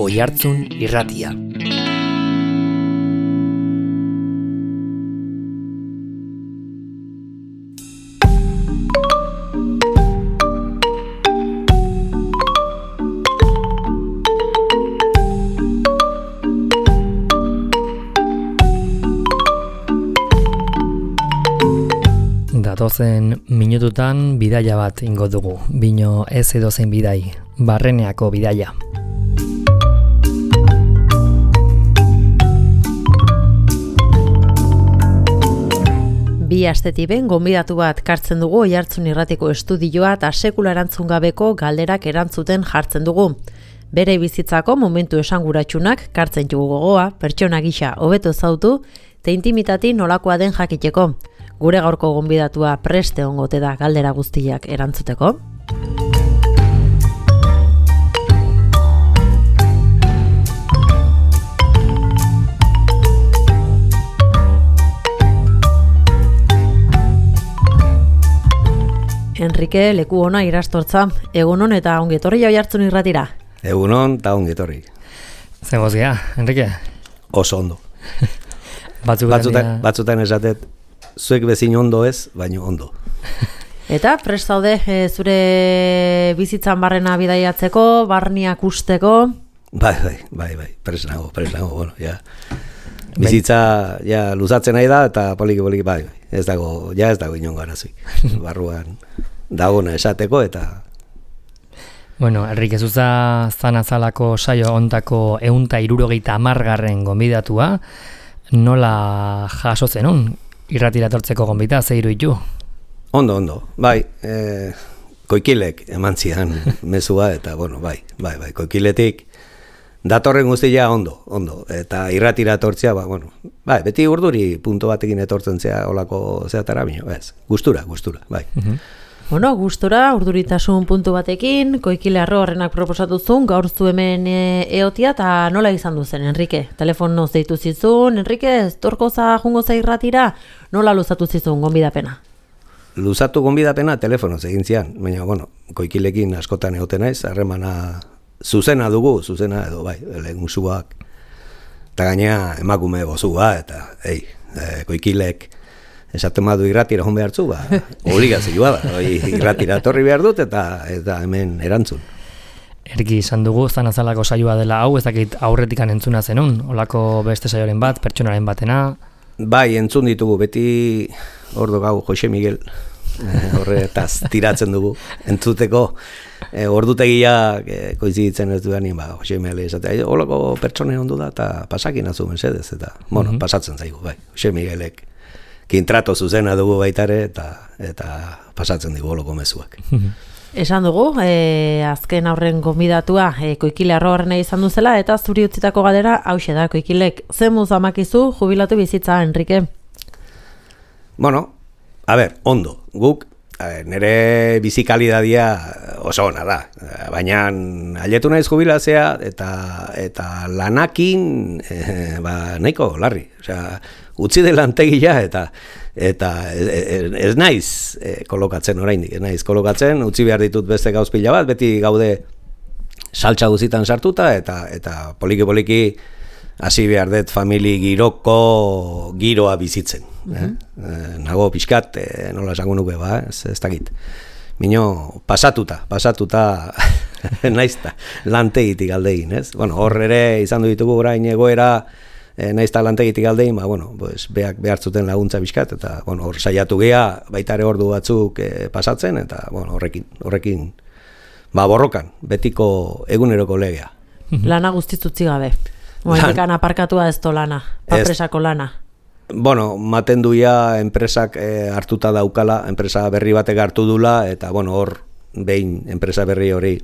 Oihartzun Irratia. Datozen minututan bidaia bat ingo dugu, bino ez edozein bidai, Barreneako bidaia. Bi astetik ben gonbidatu bat kartzen dugu Oihartzun Irratiko estudioa eta sekula erantzun gabeko galderak erantzuten jartzen dugu. Bere bizitzako momentu esanguratsunak kartzen dugu gogoa, pertsona gisa hobeto ezautu, eta intimitati nolakoa den jakiteko. Gure gaurko gonbidatua preste ongote da galdera guztiak erantzuteko. Enrique, leku ona irastortza, egunon eta ongetorri Oihartzun Irratira. Egunon eta ongetorri. Zegozia, Enrique? Oso ondo. Batzutan esatet, zuek bezin ondo ez, baino ondo. Eta prest zaude zure bizitzan barrena bidaiatzeko, barniak usteko? Bai, prest nago, bueno, ja. Bizitza ja luzatzen nahi da eta poliki bai, ez dago inongo arazoik. Barruan dagona esateko eta Bueno, Enrique Zuza zanazalako saio ontako 170. Gonbidatua, nola jaso zenun irratira etortzeko gonbita, ze iruditu? Ondo, bai, koikilek eman zidan mezua eta, bueno, bai, koikiletik datorren guztia ondo, eta irratira etortzea, bueno, bai, beti urduri punto batekin etortzen zea olako zeatara bino, gustura, bai. Bueno, gustora, urduritasun puntu batekin, koikile horrenak proposatu zuen, gaur zu hemen eotia, eta nola izan duzen, Enrique? Telefonoz deitu zizun, Enrique, estorkoza jungoza irratira, nola luzatu zizun gonbidapena? Luzatu gonbidapena telefonoz egin zian, baina, bueno, koikilekin askotan egoten naiz, harremana zuzena edo, bai, lehen musuak, eta gainea emakume bozua, eta, koikilek, esaten badu irratira hon behartzu, obligazioa da, irratira torri behar dut eta hemen erantzun. Erki izan dugu, zanazalako saioa dela hau, ez dakit aurretikan entzuna zenun, olako beste saioaren bat, pertsonaren batena? Bai, entzun ditugu, beti ordo gau Jose Miguel, horretaz tiratzen dugu, entzuteko, ordutegiak koiziditzen ez dudanin, Jose Miguel esatea, olako pertsonen ondu da, eta pasakin azu mesedez, eta, bueno, pasatzen zaigu, bai, Jose Miguelek, kintrato zuzena dugu baitare eta pasatzen digu oloko mezuak. Esan dugu, azken aurren gonbidatua koikile horrena izan duzela eta zuri utzitako galdera hauxe da, koikilek zemuz amakizu jubilatu bizitza, Enrique? Bueno, ondo, guk nire bizikalidadia oso ona da, baina aletu naiz jubilazea eta lanakin nahiko larri, osea, utzi de lantegia eta ez naiz kolokatzen oraindik, utzi behar ditut beste gauz pila bat, beti gaude saltsa guzitan sartuta eta poliki hasi behar dut famili giroa bizitzen. Nago pixkat, nola esango nuke ez dakit. Mino, pasatuta naizta lantegitik aldegin, ez? Bueno, hor ere izan ditugu orain egoera naizta lantegitik aldein, beak behartzuten laguntza bizkat, eta hor saiatu gea, baita ere ordu batzuk pasatzen, eta horrekin borrokan, betiko eguneroko legea. Lana guztizutzi gabe, moetekan aparkatua ez lana, papresako lana. Bueno, maten duia enpresak hartuta daukala, enpresa berri batek hartu dula, eta hor behin enpresa berri hori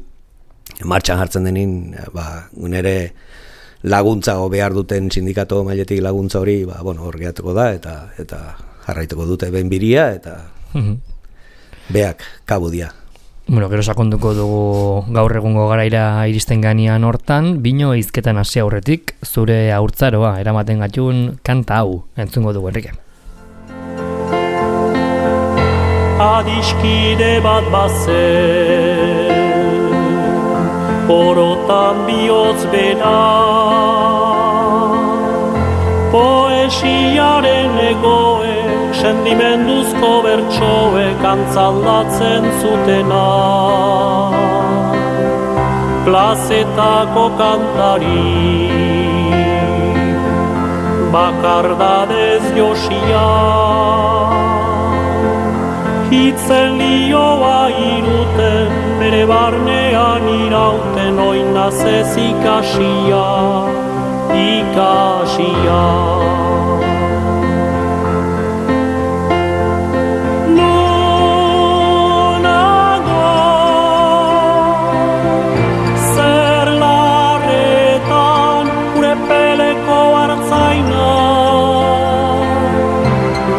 martxan jartzen denin, nire laguntza behar duten sindikato mailetik laguntza hori, hor gehatuko da, eta jarraituko dute behin biria, eta beak kabudia. Bueno, gero sakonduko dugu gaur egungo garaira iristen ganean hortan, bino hizketan hasi aurretik, zure haurtzaroa eramaten gatun kanta hau entzungo dugu, Enrique. Adiskide bat bazen korotan bihotz bera. Poesiaren egoe, sentimenduzko bertsoek antzaldatzen zutena. Plazetako kantari, bakardadez josia, hitzen lioa iruten, bere barnean irauten, oinaz ez ikasia, ikasia.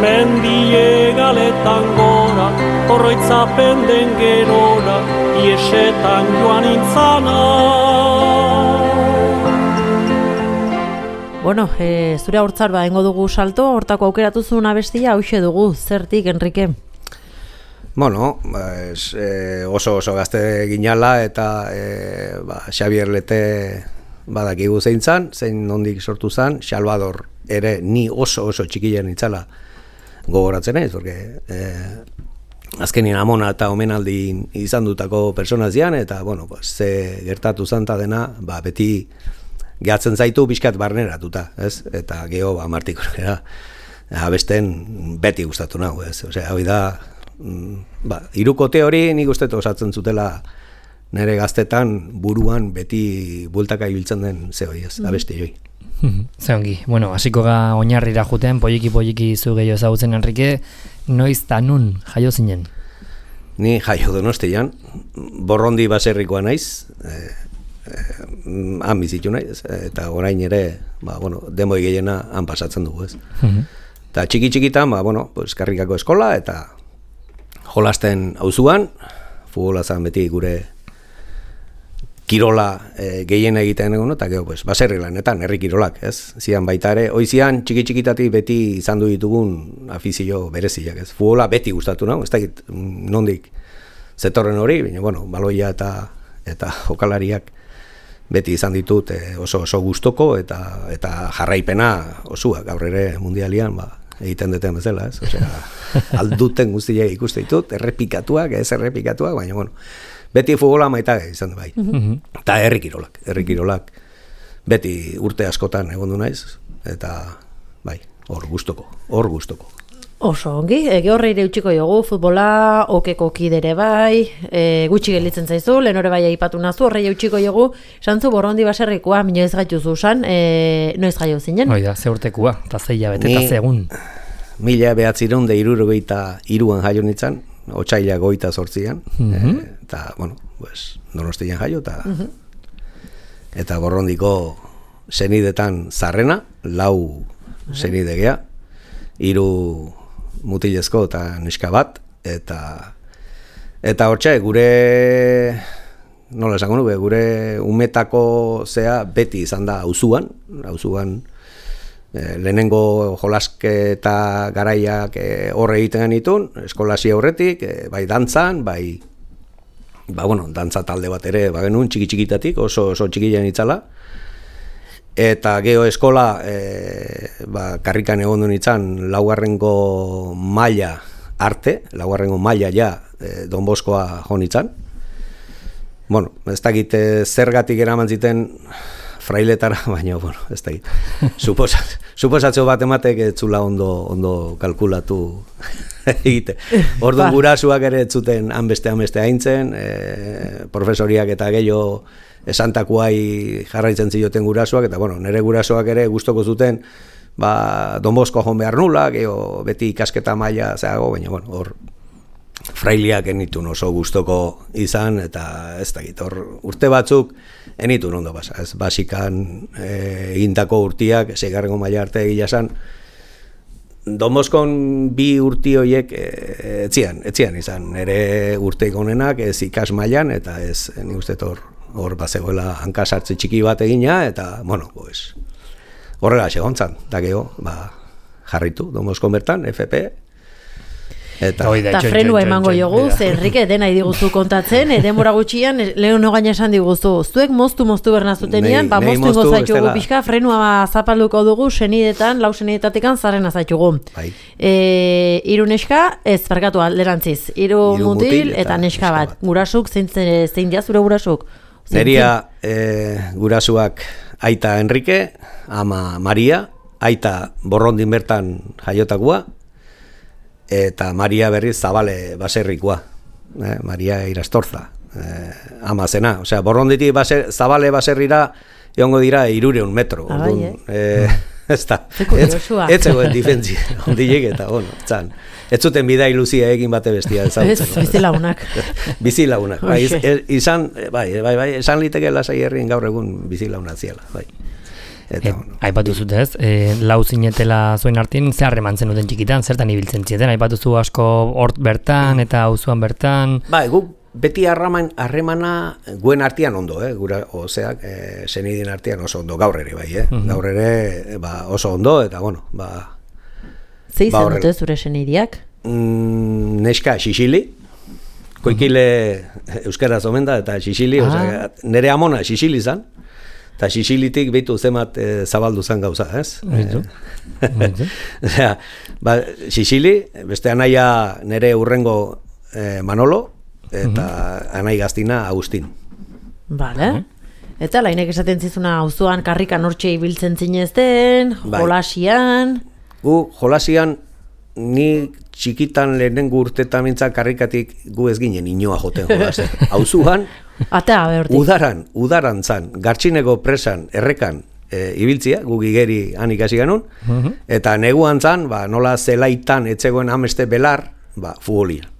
Mendiegaleta gora, horroitzapen den gerora, iesetan joan intzana. Bueno, zure haurtzaroa egingo dugu salto, hortako aukeratu zuen abestia, hauxe dugu, zertik, Enrique? Bueno, oso gazte ginala eta Xabier Lete badakigu zein zan, zein nondik sortu zan, Salvador ere ni oso txikilen itzala gogoratzen ez, porque azkenien amona eta omenaldi izan dutako persona zian, eta bueno, ze gertatu zanta dena, beti gehatzen zaitu bizkat barneratuta, ez? Eta geho martikorera abesten beti gustatu nago, ez? Osea, hori da, hirukote hori nik uste osatzen zutela nire gaztetan buruan beti bultaka ibiltzen den zehoi, ez? Abesti joi. Zeongi, bueno, hasiko ga oinarrira juten, polliki zu gehiago ezagutzen, Enrique, noiz ta nun jaio zinen? Ni jaio Donostian, Borrondi baserrikoa naiz, han bizitu naiz, eta orain ere, demoi gehiena han pasatzen dugu, ez. Eta txiki-txikitan, karrikako eskola, eta jolasten auzuan, futbola zan beti gure kirola gehien egiten egon, eta gero, baserri lanetan, herri kirolak, ez? Zian baita ere, oizian txiki-txikitatik beti izan du ditugun afizio bereziak, ez? Futbola beti gustatu nago, ez dakit nondik zetorren hori, baina, baloia eta jokalariak beti izan ditut oso gustoko eta jarraipena osua, gaur ere mundialian, egiten duten bezala, ez? Osea, alduten guztiak ikuste ditut, errepikatuak, ez errepikatuak, baina, beti futbola maita izan da bai. Eta herri kirolak beti urte askotan egon du naiz, eta bai, hor gustoko. Oso ongi, horre ere utxiko jogu, futbola, okeko kidere bai, gutxi gelditzen zaizu, lehen hori bai aipatu nazu, horre utxiko jogu, santzu Borrondi baserrikoa, minoiz gaitu zuzan, noiz gaio zinen? Oida, ze urtekoa, eta zeia bete, eta zegun. 1993an jaio nintzen, otsaila 28an, eta, Donostian jaio, eta Borrondiko senidetan zarrena, 4 senide gea, 3 mutilezko eta neska bat, eta hortxe, gure, nola esango nuke, gure umetako zea beti izan da auzuan, lehenengo jolasketa garaiak horre egiten genitun, eskolasi horretik, bai dantzan, bai, dantza talde bat ere, genuen txiki-txikitatik, oso txikilean itzala, eta geho eskola, karrikan egon duen itzan, 4. maila arte, 4. maila ja, Don Boskoa jo nitzan. Ez dakit zergatik eraman ziten frailetara, baina, ez dakit. Suposatzo bat ematek ez zula ondo kalkulatu egite. Orduan gurasuak ere ez zuten hanbeste haintzen, profesoriak eta gehiago esantakuai jarraitzen zioten gurasuak, eta nire gurasuak ere gustoko zuten Don Bosko joan behar nula, geho beti ikasketa maila zeago, baina hor frailiak enitun oso gustoko izan, eta ez dakit, hor urte batzuk enitun ondo basa, ez basikan egindako urtiak, 6. maila arte egila zan, Don Boskon 2 urti horiek etzian izan, nire urteik honenak ez ikas mailan, eta ez, nik uste hor bazegoela hankasartze txiki bat egina, eta, horrela segontzan, eta geho, jarritu, Don Boskon bertan, FP. Eta frenua emango jogu, ze Enrique dena idiguzu kontatzen, denbora gutxian, lehen gaina esan diguzu, zuek moztu bernazutenian, moztu ingo zaitugu pixka, frenua zapalduko dugu, lau senidetatikan zarren azaitugu. Hiru neska, ez, barkatu alderantziz, hiru mutil eta neska bat. Gurasuk, zein dia zure gurasuk? Neria gurasuak aita Enrique, ama Maria, aita Borrondin bertan jaiotakua, eta Maria berriz Zabale baserrikoa, Maria Irastorza, ama zena. Osea, Borronditik Zabale baserrira egongo dira 300 metro. Ez da, ez zegoen difentzi, ondilek eta, txan. Ez zuten bida iluzia egin bate bestia ezagutzen. Ez, bizilagunak. Bizilagunak, esan liteke lasai herrien gaur egun bizilagunak ziela, bai. Aipatu zute ez, lau zinetela zuen artien, ze harreman zenuten txikitan, zertan ibiltzen zieten, aipatu zu asko hort bertan eta auzoan bertan. Guk beti harremana guen artean ondo, gura ozeak, senidin artean oso ondo, gaur ere bai, gaur ere oso ondo, eta bueno, Ze izan dute zure senidiak? Neska Xixili, koikile euskaraz omen da, eta Xixili, nire amona Xixili zan, eta Xixilitik behitu zemat zabaldu zen gauza, ez? Xixili, beste anaia nire urrengo Manolo, eta anai gaztina Agustin. Bale. Eta lainek esaten zizuna auzoan karrikan hortxe ibiltzen zinezten, jolasian... Gu jolasian, ni txikitan lehenengo urtetan mintzak karrikatik gu ez ginen inoa joten jolasen. Auzuan, udaran zan, Gartxineko presan, errekan ibiltzia, gu gigeri han ikasi ganun, eta neguan zan, nola zelaitan etzegoen ameste belar, futbolian.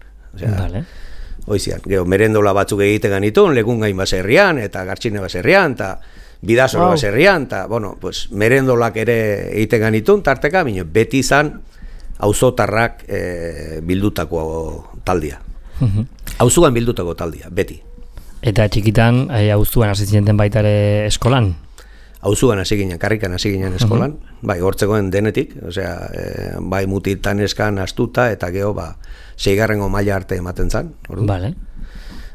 Hoizian, merendola batzuk egiten ganitun, Legungain baserrian, eta Gartxine baserrian, eta Bidasola baserrian, eta, merendolak ere egiten ganitun, tarteka, beti izan auzotarrak bildutako taldia. Auzuan bildutako taldia, beti. Eta txikitan, auzuan hasi zineten baita ere eskolan? Auzuan hasi ginen, karrikan hasi ginen eskolan, bai, hortzegoen denetik, osea, bai mutiltan eskan astuta, eta geho, 6. maila arte ematen zan. Vale.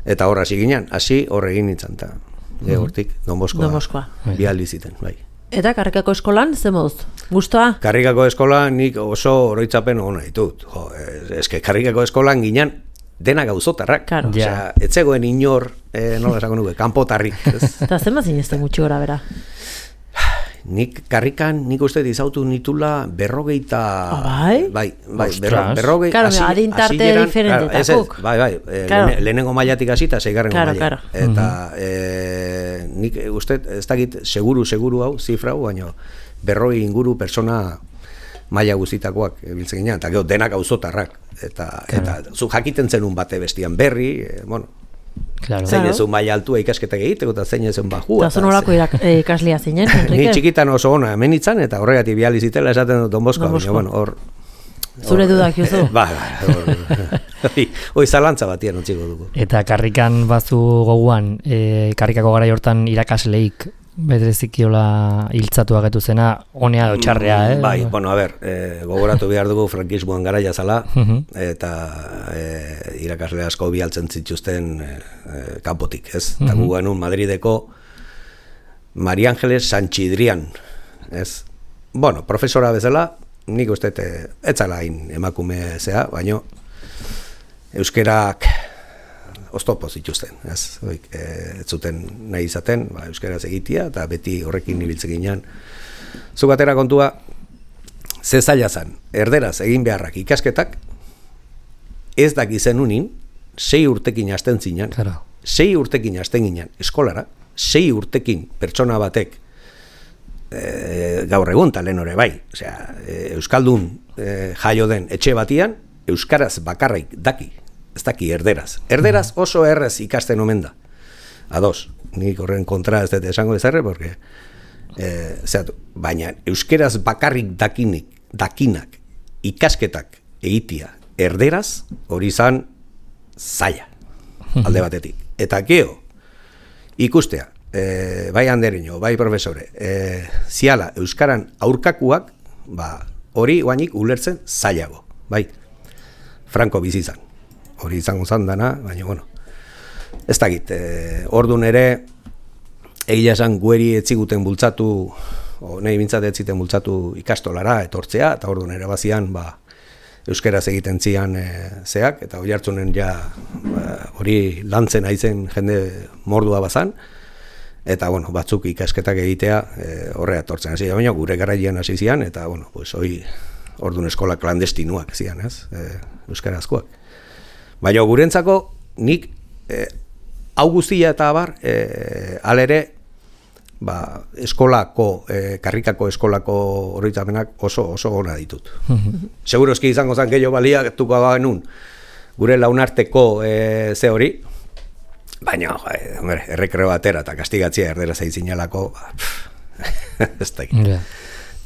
Eta hor hasi ginen, hor egin nintzen, eta hortik, Don Boskoa, bi aldi ziten, bai. Eta Karrikako eskolan, ze moduz? Gustoa? Karrikako eskolan nik oso oroitzapen ona ditut. Eske Karrikako eskolan ginen denak auzotarrak. Osea, ez zegoen inor, nola esako nuke, kanpotarrik. Eta zenbat zinezten gutxi gora bera? Nik karrikan, nik uste dizautu nitula 40... Bai, berrogei... Karo, adintarte diferentetakuk. Bai, lehenengo mailatik hasi eta 6. maila. Eta nik uste, ez dakit seguru hau, zifra hau, baina 40 inguru persona maila guztitakoak biltzen ginean, eta gero denak auzotarrak. Eta zu jakiten zenun bate bestian berri, zein ezun maila altua ikasketak egiteko eta zein ezun bajua. Eta zonolako ikaslia zinen, Enrique? Ni txikitan oso ona hemen itzan, eta horregatik bihali zitela esaten dut Don Boskoa. Zure dudak juzu? Hoi zalantza batien utziko dugu. Eta karrikan bazu goguan, karrikako garai hortan irakasleik bedrezikiola hiltzatu agetu zena, honea edo txarrea, Bai, gogoratu behar dugu frankismoan garaia zala, eta irakasle asko bialtzen zituzten kanpotik, ez? Eta gu genuen Madrideko Maria Ángeles Sanchidrian, ez? Profesora bezala, nik uste etzala hain emakume zea, baino euskerak oztopo zituzten, ez zuten nahi izaten, euskaraz egitea, eta beti horrekin ibiltzen ginean. Zuk atera kontua, ze zaila zan, erderaz egin beharrak ikasketak, ez dakizen unin, 6 urtekin hasten zinen, 6 urtekin hasten ginen eskolara, 6 urtekin pertsona batek gaur egun talen hori bai, euskaldun jaio den etxe batian, euskaraz bakarrik daki, ez daki erderaz. Erderaz oso errez ikasten omen da. Ados, nik horren kontra ez dut esango ezarre, porque baina euskeraz bakarrik dakinak ikasketak egitea erderaz hori izan zaila alde batetik. Eta geho, ikustea, bai andereño, bai profesore, ziala euskaran aurkakuak, hori guainik ulertzen zailago, bai. Franco bizi izan. Hori izango zan dana, baina, bueno, ez dakit, ordun ere, egia esan gueri etziguten bultzatu, nahi bintzat etziten bultzatu ikastolara, etortzea, eta ordun ere bazian, euskeraz egiten zian zeak, eta hori hartzunen ja hori lantzen aizen jende mordua bazan, eta bueno, batzuk ikasketak egitea horrea etortzen hasi, baina gure garaian hasi zian, eta bueno, pues hori ordun eskola klandestinuak zian, ez? Euskarazkoak. Baina gurentzako nik hau guztia eta abar, alere, eskolako, karrikako eskolako oroitzapenak oso ona ditut. Seguroski izango zan gehiago baliatuko genuen gure launarteko ze hori, baina, errekreo atera eta kastigatzia erdera zaitzinalako, ez dakit.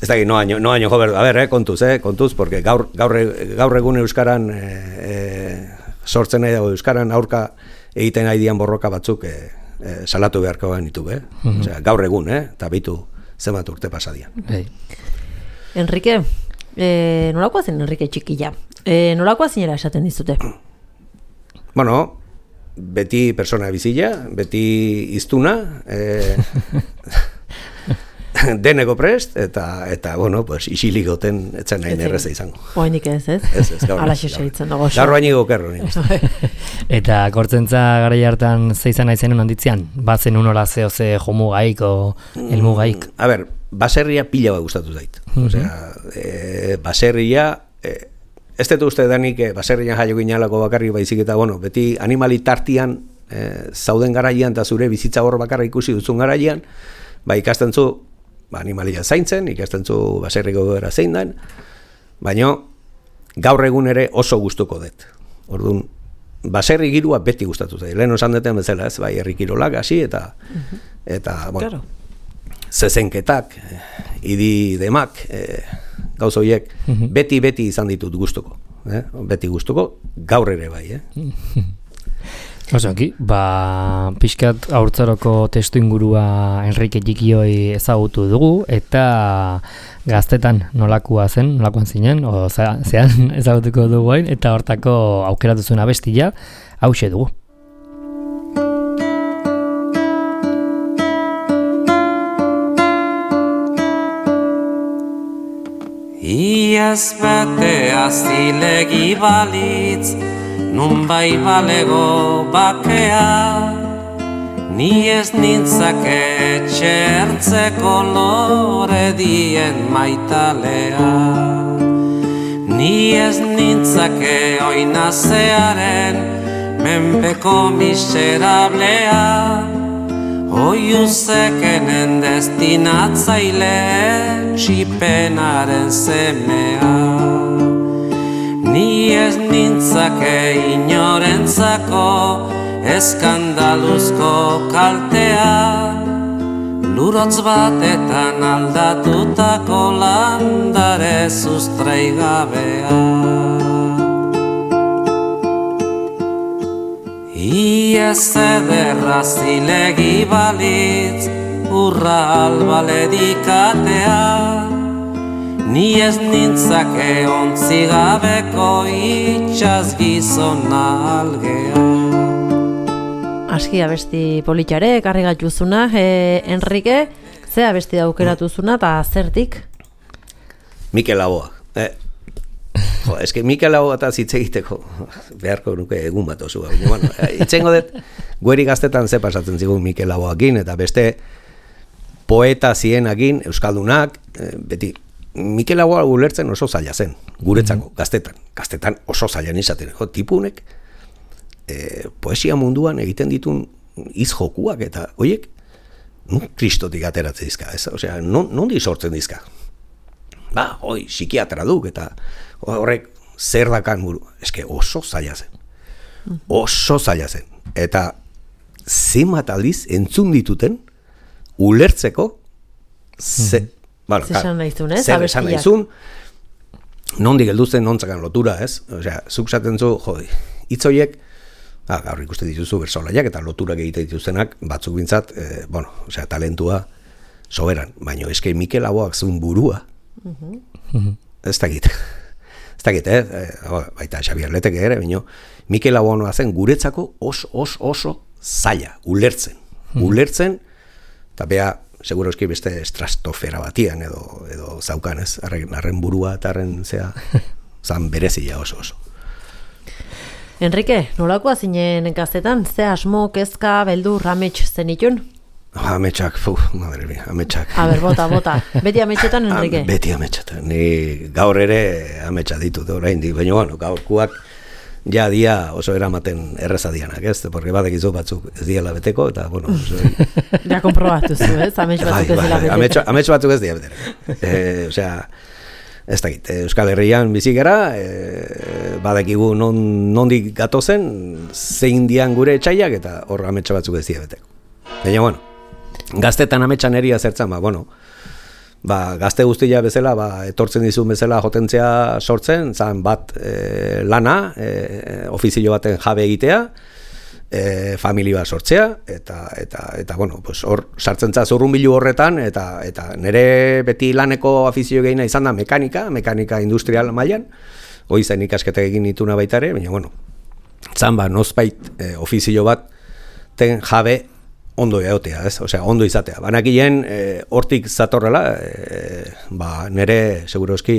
Ez dakit, no año jober, a ver, kontuz, porque gaur egun euskaran sortzen nahi dago euskaran aurka egiten nahi dian borroka batzuk salatu beharko genitu, Osea, gaur egun, eta bitu zenbat urte pasadian. Enrique, nolakoa zen Enrique txikila? Nolakoa zinera esaten dizute? Bueno, beti persona bizila, beti iztuna, deneko prest, eta bueno, pues, isilik goten etzen nahi nerreza izango. Oainik ez? Ez, gaur. Alaxe segitzen dago. Gaur bainiko kerro, nik. Eta kortzentza garai hartan zeizan aizen handitzean? Bazen unola ze jomu gaik o elmu gaik? A ber, baserria pila bat gustatu zait. Osea, baserria, ez dut uste danik baserrian jaio ginalako bakarri baizik eta, bueno, beti animali tartian zauden garaian eta zure bizitza hor bakarra ikusi duzun garaian, ikasten zu, animalia zaintzen, ikasten zu baserriko gara zein den, baina gaur egun ere oso gustuko dut. Orduan, baserri girua beti gustatu zait. Lehen osan duten bezala, ez, herri kirolak hasi eta bueno, zezenketak, idi demak, gauz horiek, beti izan ditut gustuko. Beti gustuko, gaur ere bai. Osoki, pixkat haurtzaroko testu ingurua Enrique Txikioi ezagutu dugu, eta gaztetan nolakoan zinen, zean ezagutuko dugu hain, eta hortako aukeratu zuen abestia, hauxe dugu. Iaz batea zilegi balitz, nun bai balego bakea, ni ez nintzake txertzeko lore dien maitalea. Ni ez nintzake oinazearen menpeko miserablea, oiuzekenen destinatzaile txipenaren semea. Ni ez nintzake inorentzako eskandaluzko kaltea, lurotz batetan aldatutako landare sustraigabea. Iez ederra zilegi balitz, urra albaledikatea, ni ez nintzake ontzigabeko itxaz gizona algea. Aski abesti politxare, karri gatuzuna. Enrique, ze abesti daukeratuzuna eta zertik? Mikel Laboa. Mikel Laboa eta zitze egiteko beharko nuke egun bat osu. Bueno, itzengo dut, gueri gaztetan ze pasatzen zigun Mikel Laboakin, eta beste poeta zienakin, euskaldunak, beti, Mikel Laboa ulertzen oso zaila zen, guretzako, gaztetan oso zailan izaten, tipunek, poesia munduan egiten ditun izjokuak eta horiek, kristotik ateratzen dizka, osea, nondi sortzen dizka. Psikiatra duk eta horrek zer dakan buru, oso zaila zen, eta zenbat aldiz entzun dituten ulertzeko zesan nahizun, ez? Zesan nahizun, nondik helduzen nontzakan lotura, ez? Osea, zuk zaten zu, hitzoiek, gaur ikusten dituzu bersolaiak eta loturak egiten dituztenak, batzuk bintzat, talentua soberan, baina Mikel Laboak zuen burua, ez dakit. ez dakit, baita Xabier Leteke ere, baina Mikel Abonoa zen guretzako oso zaila, ulertzen, eta bea, seguroski beste estrastofera batian edo zaukan, ez, arren burua eta arren zea, zan berezia oso. Enrique, nolakoa zinen gaztetan, ze asmo, kezka, beldur, amets zenitun? Ametsak, madre mia, ametsak. A ber, bota. Beti ametsetan, Enrique? Beti ametsetan. Ni gaur ere ametsa ditut oraindik, baina bueno, gaurkuak ja dia oso eramaten erreza dianak, ez? Porque badekizu batzuk ez diela beteko, eta bueno... Ja konprobatu zu, ez? Amets batzuk ez dela beteko. Amets batzuk ez dira beteko. Osea, ez dakit, Euskal Herrian bizi gara, badekigu nondik gatozen, zein dian gure etxaiak, eta hor ametsa batzuk ez dira beteko. Baina, bueno, gaztetan ametsan eria zertzen, gazte guztia bezala, etortzen dizun bezala jotentzea sortzen, zan bat lana, ofizio baten jabe egitea, familia bat sortzea, eta bueno, pues hor sartzen za zurrunbilu horretan, eta nire beti laneko afizio gehiena izan da mekanika industrial mailan, hoi zen ikasketak egin dituna baita ere, baina, bueno, zan nozbait ofizio bat ten jabe ondo egotea, ez? Osea, ondo izatea. Banakilen hortik zatorrela, nere seguroski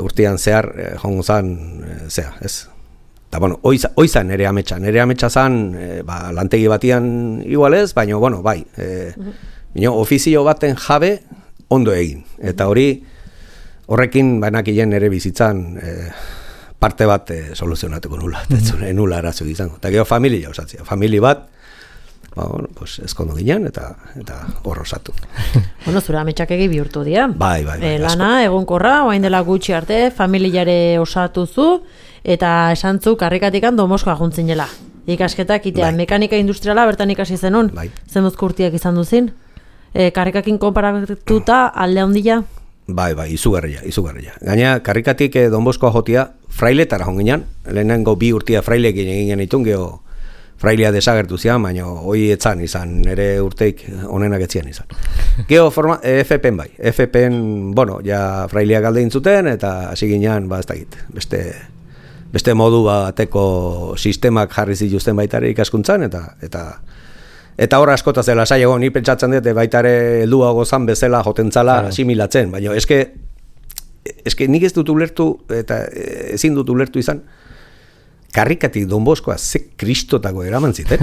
urtean zehar jongo zan zea, ez? Eta bueno, oizan nere ametsa zan lantegi batian igual ez, baina bueno, bai. Ofizio baten jabe ondo egin. Eta horrekin banakilen nere bizitzan parte bat soluzionatuko nula, nula arazo izango. Eta gero familia osatzea. Familia bat bueno, pues ezkondu ginen eta hor osatu. Bueno, zure ametsak egi bihurtu dira. Bai. Lana, egonkorra, orain dela gutxi arte, familiare osatu zu, eta esantzu karrikatikan Domoskoa juntzinela. Ikasketak itean, mekanika industriala bertan ikasi zenun, zenbuzko urtiak izan duzin. Karrikakin konparatuta alde handia? Bai, izugarria. Gaina, karrikatik Domoskoa jotia, frailetara jonginan, lehenengo 2 urtia frailekin egin genitun, geho, frailea desagertu zian, baina hoi etzan izan, nire urteik onenak etzian izan. Geo FPen bai, FPen, bueno, ja frailea galde intzuten, eta hasi ginean, ez dakit, beste modu bateko sistemak jarri zituzten baitare ikaskuntzan, eta hor askotaz dela saiago, ni pentsatzen dut, baitare helduago zan bezala jotentzala asimilatzen, baina eske nik ez dut ulertu, eta ezin dut ulertu izan, karrikatik Don Boskoa ze kristotako eraman ziten.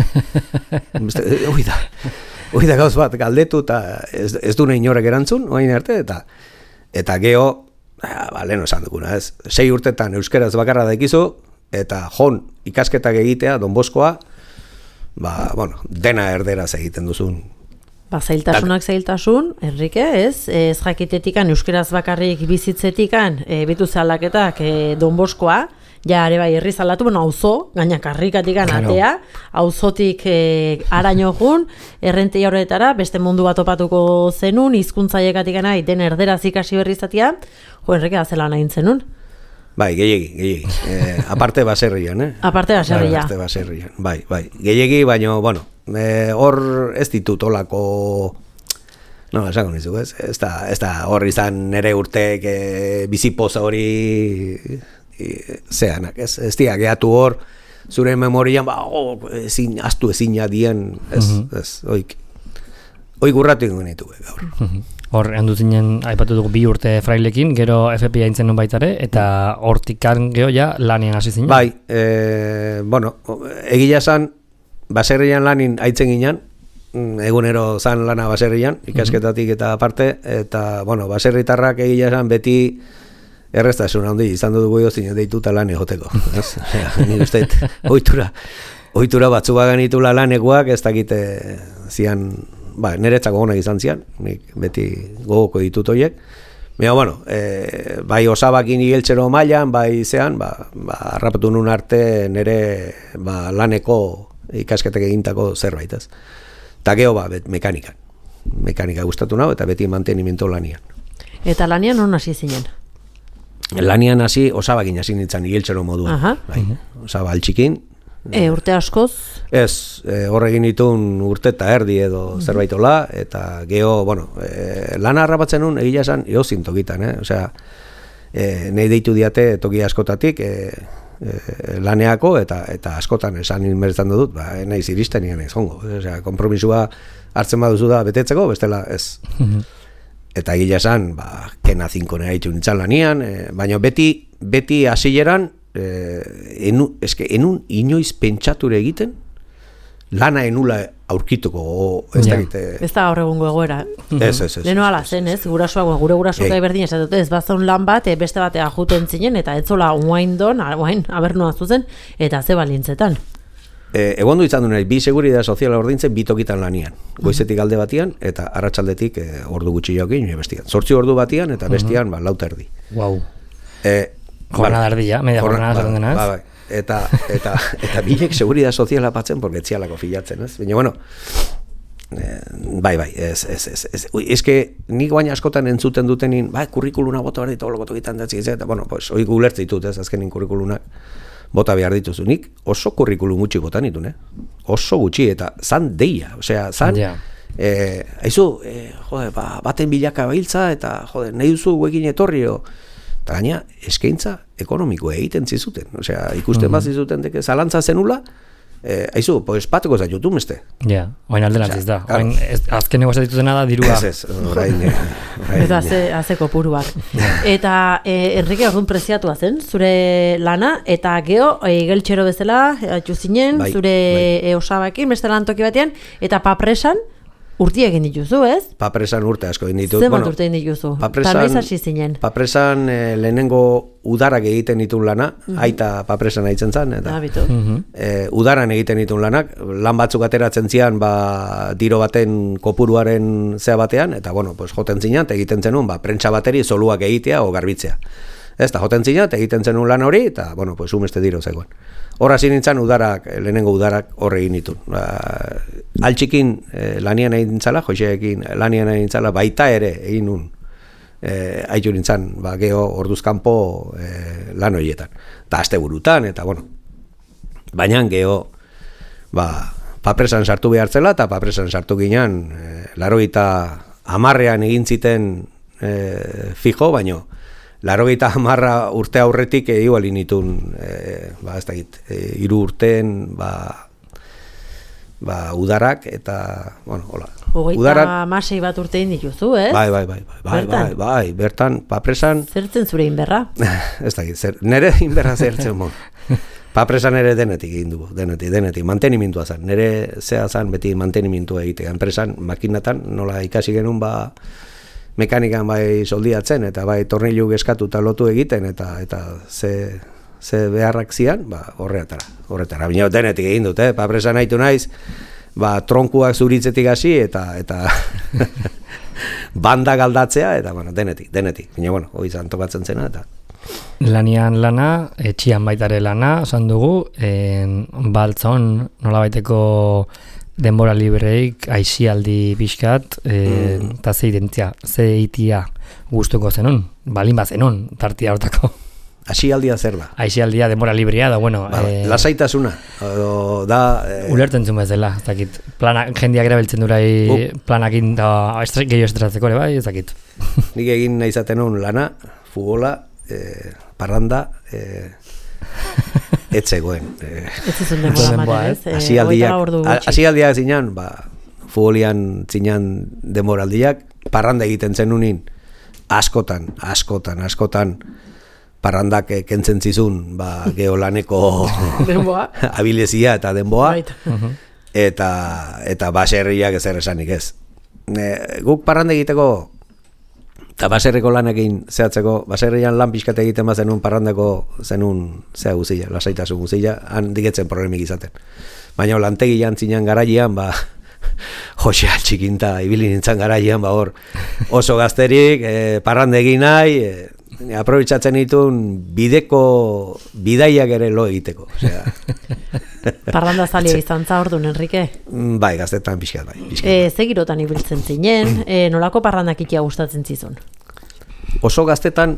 Hoi da gauz bat galdetu eta ez du nahi inorek erantzun, oain arte, eta geho, lehen esan duguna, ez? 6 urtetan euskeraz bakarra daikizu, eta ikasketak egitea Don Boskoa, dena erderaz egiten duzun. Zailtasun, Enrique, ez jakitetikan euskeraz bakarrik bizitzetikan, bitu zalaketak Don Boskoa, ja, ere bai, herri zalatu, auzo, gaina karrikatikan atea, auzotik araño jun, errentei horretara, beste mundu bat topatuko zenun, hizkuntzaiekatik nahi, den erderaz ikasi berri izatea, Enrique, azela nahi zenun? Bai, gehiegi. Aparte baserrian, Aparte baserrian, bai. Gehiegi, baina, bueno, hor ez ditut olako... No, esango nizu, ez? Ez da hor izan nere urtek bizipoza hori... zeanak, ez dira, gehatu hor, zure memorian, astu ezina dien, ez, oik urratu ingo nitu, gaur. Hor, handu zinen, aipatu dugu 2 urte frailekin, gero FPI aintzen non baitare, eta hortikan geho ja lanien hasi zinen? Bai, bueno, egia zan, baserrian lanin aitzen ginen, egunero zan lana baserrian, ikasketatik eta aparte, eta, bueno, baserritarrak egia zan beti, erreztasun handi, izan dugu zinen deituta lan egoteko. Nik uste, ohitura batzu baganitula lanekoak, ez dakite zian, niretzako honak izan zian, nik beti gogoko ditut horiek. Baina, bueno, bai osabakin igeltxero mailan, bai zean, harrapatu nun arte nire laneko ikasketak egintako zerbait, ez. Eta geho, mekanika gustatu nahu, eta beti mantenimiento lanian. Eta lanian non hasi zinen? Lanian hasi, osabakin hasi nintzen igeltxero moduan. Osaba altxikin. Urte askoz? Ez, horregin ditun urte eta erdi edo zerbaitola, eta geho, bueno, lana harrapatzen nun, egia esan, eozintokitan, osea, nahi deitu diate toki askotatik, laneako eta askotan esan inmertzen dut, naiz iristen nien ez hongo. Osea, konpromisua hartzen baduzu da betetzeko, bestela ez. Eta gila esan, kena 5 nahi ditu nintzen lanian, baina beti hasieran, enun inoiz pentsature egiten, lana enula aurkituko, ez dakite... Ez da gaur egungo egoera. Ez. Leno ala zen, ez? Gure gurasoak berdin esatut, ez bazon lan bat, beste batea juten zinen, eta etzola uain abernoa zuzen, eta ze balintzetan. Egon du izan du nahi, bi seguridad soziala ordintzen, bi tokitan lanian. Goizetik alde batian, eta arratsaldetik ordu gutxi jokin, bestian. 8 ordu batian, eta bestian, 4 erdi. Wow. Jornada erdia, media jornada zaten dena, ez? Bai. Eta bilek seguridad soziala batzen, porque etzialako filatzen, ez? Baina, bueno, bai, ez que nik baina askotan entzuten dutenin, kurrikuluna bota behar ditu, tokitan datzik, eta, bueno, pues, hori gulertze ditut, ez, azkenin kurrikulunak bota behar dituzu. Nik oso kurrikulum gutxi botan ditun, oso gutxi, eta zan deia, osea, zan, haizu, baten bilaka bahiltza, eta, nahi duzu guekin etorrio, eta gaina, eskaintza ekonomikoa egiten zizuten. Osea, ikusten bat zizuten deke zalantza zenula, haizu, pues pateko zaitutu meste. Ja, oain alderantziz da. Azken negozia dituzena da dirua. Ez, orain. Eta azeko puruak. Eta Enrique orduan preziatua zen, zure lana, eta geho, geltxero bezala, atxu zinen, zure osabakin, beste lan toki batean, eta papresan, urti egin dituzu, ez? Papresan urte asko egin ditut. Zemat urte egin dituzu? Eta noiz hasi zinen? Papresan lehenengo udarak egiten ditun lana, aita papresan aitzen zan, eta udaran egiten ditun lanak, lan batzuk ateratzen zian, diro baten kopuruaren zea batean, eta, bueno, pues, joten zinan, eta egiten zenun, prentsa bateri zoluak egitea o garbitzea. Ez da, joten zinan, eta egiten zenun lan hori, eta, bueno, pues, umeste diro zegoen. Horra nintzen lehenengo udarak horre egin ditun. Altxikin lanian egin zala, Joseekin lanian egin zala, baita ere egin nun haitu nintzen, geho orduzkanpo lan horietan. Eta aste burutan, eta bueno. Baina geho, papresan sartu behartzela, eta papresan sartu ginen, 80 egin ziten fijo, baino, 80 urte aurretik igual initun, ez dakit, 3 urteen, udarak, eta, bueno, hola. Hogeita masei bat urtein dituzu, ez? Bai, bertan, papresan... Zertzen zure inberra? Ez dakit, nire inberra zertzen mon. Papresan ere denetik egin dugu, denetik, mantenimintua zen. Nire zea zen beti mantenimintua egitea. Enpresan, makinatan, nola ikasi genuen, mekanikan bai soldiatzen, eta bai tornilu eskatu eta lotu egiten, eta ze beharrak zian, horretara. Bina denetik egin dut, papresan nahitu naiz, tronkuak zuritzetik hasi, eta banda galdatzea, eta, bueno, denetik. Bina, bueno, hori zan tokatzen zena, eta... Lanian lana, etxian baitare lana, esan dugu, baltzon, nola baiteko denbora libreik, aixialdi pixkat, eta ze itia gustuko zenun, balin bat zenun, tartia hortako. Aixialdia zer da? Aixialdia, denbora librea, da, bueno... Lasaitasuna, da... Ulertzen zuen bezala, ez dakit. Jendeak erabiltzen durai planakin da gehiago estratzeko ere, bai, ez dakit. Nik egin nahi zaten hon lana, futbola, parranda, etzegoen. Etzizun denbora ez? Asialdiak zinan, futbolian zinan demoraldiak, parranda egiten zenunin, askotan, parrandak kentzen zizun, geolaneko abilezia eta denboa, eta baserriak ezer esanik ez. Guk parranda egiteko, eta baserriko lanekin zehatzeko, baserrian lan pixkate egiten zenun parrandeko zenun zea guzilla, lasaitasun guzilla, han diketzen problemik izaten. Baina lantegian zinan garaian, Jose Altxikinta ibili nintzen garaian, hor oso gazterik, parrandegin nahi, aprobitzatzen ditun bidaiak ere lo egiteko. Parranda zalia izan za orduan, Enrique? Bai, gaztetan pixkat, bai. Ze girotan ibiltzen zinen, nolako parrandak ikia gustatzen zizun? Oso gaztetan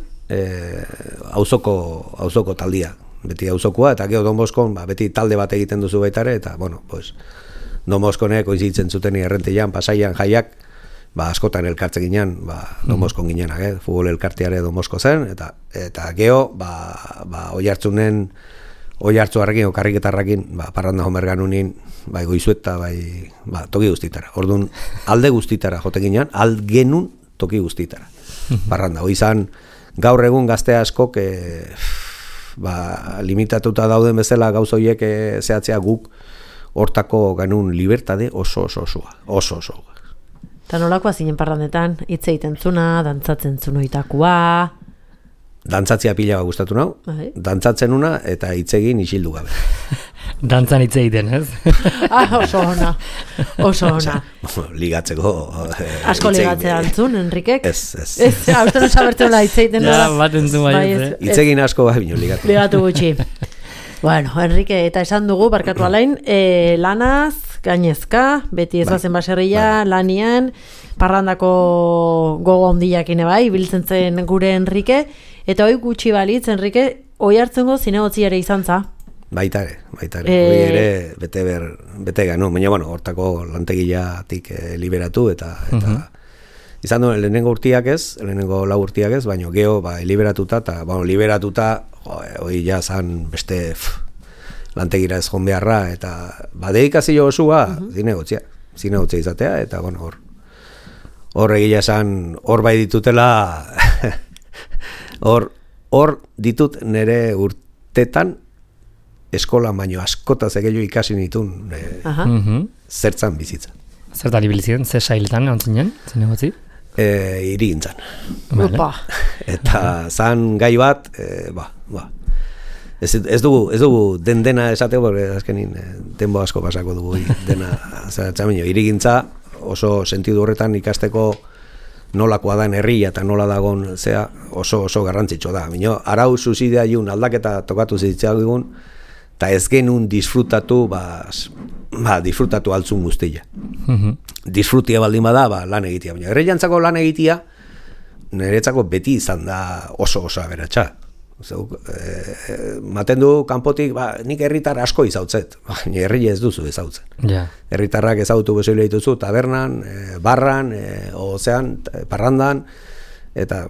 auzoko taldia, beti auzokoa, eta gero Don Boskon, beti talde bat egiten duzu baitare, eta, bueno, pues, Don Boskonek oizitzen zuten errentian, pasaian jaiak, askotan elkartze ginen, Domoskon ginenak, futbol elkarteare Domosko zen, eta geho, Oiartzuarrekin, Karriketarrekin, parranda homerganunin, goizueta, toki guztitara. Orduan, alde guztitara jote ginen, algenun toki guztitara. Parranda, hoi izan, gaur egun gazte askok, limitatuta dauden bezala gauza horiek zehatzea guk hortako ganun libertade oso. Eta nolakoa zinen parrandetan, hitz egiten zuna, dantzatzen zunoitakoa... Dantzatzea pila gustatu nau, dantzatzen una eta hitz egin isildu gabe. Dantzan hitz egiten, ez? Oso ona. Ligatzeko... Asko ligatzea antzun, Enrikek? Ez. Hausten osabertzen hola hitz egiten. Ja, bat entzun baiet, hitz egin asko bino ligatu. Ligatu gutxi. Bueno, Enrike, eta esan dugu, barkatu alain, lanaz, gainezka, beti ez bazen baserria, lanian, parrandako gogo handiakine biltzen zen gure Enrike, eta hoi gutxi balitz, Enrike, hoi hartzengo zinegotzi ere izan za? Baita ere. Hoi ere bete gano, baina hortako lantegiatik liberatu eta izan du, lehenengo lau urtiak ez, baina geho liberatuta, eta liberatuta, hoi ja zan beste lantegira ez joan beharra, eta deikazio osua zinegotzia izatea, eta hor egia esan, hor bai ditutela, hor ditut nire urtetan, eskola baino askotaz egeio ikasi nitun zertzan bizitza. Zertan ibilizien, ze sailetan antzinen, zinegotzi? Irigintzan. Vale. Eta zan gai bat, ez dugu dena esateko, porque azkenin denbo asko pasako dugu dena, irigintza oso sentidu horretan ikasteko nolakoa da herria eta nola dagon zea oso garrantzitsu da. Bino, arau zuzidea jun aldaketa tokatu zitzak egun, eta ez genuen disfrutatu, disfrutatu altzun guztia. Disfrutia baldin bada, lan egitea. Baina herriantzako lan egitea, niretzako beti izan da oso aberatsa. Maten du kanpotik, nik herritar asko izautzet, baina herria ez duzu ezautzen. Herritarrak ezautu bezoile dituzu, tabernan, barran, ozean, parrandan,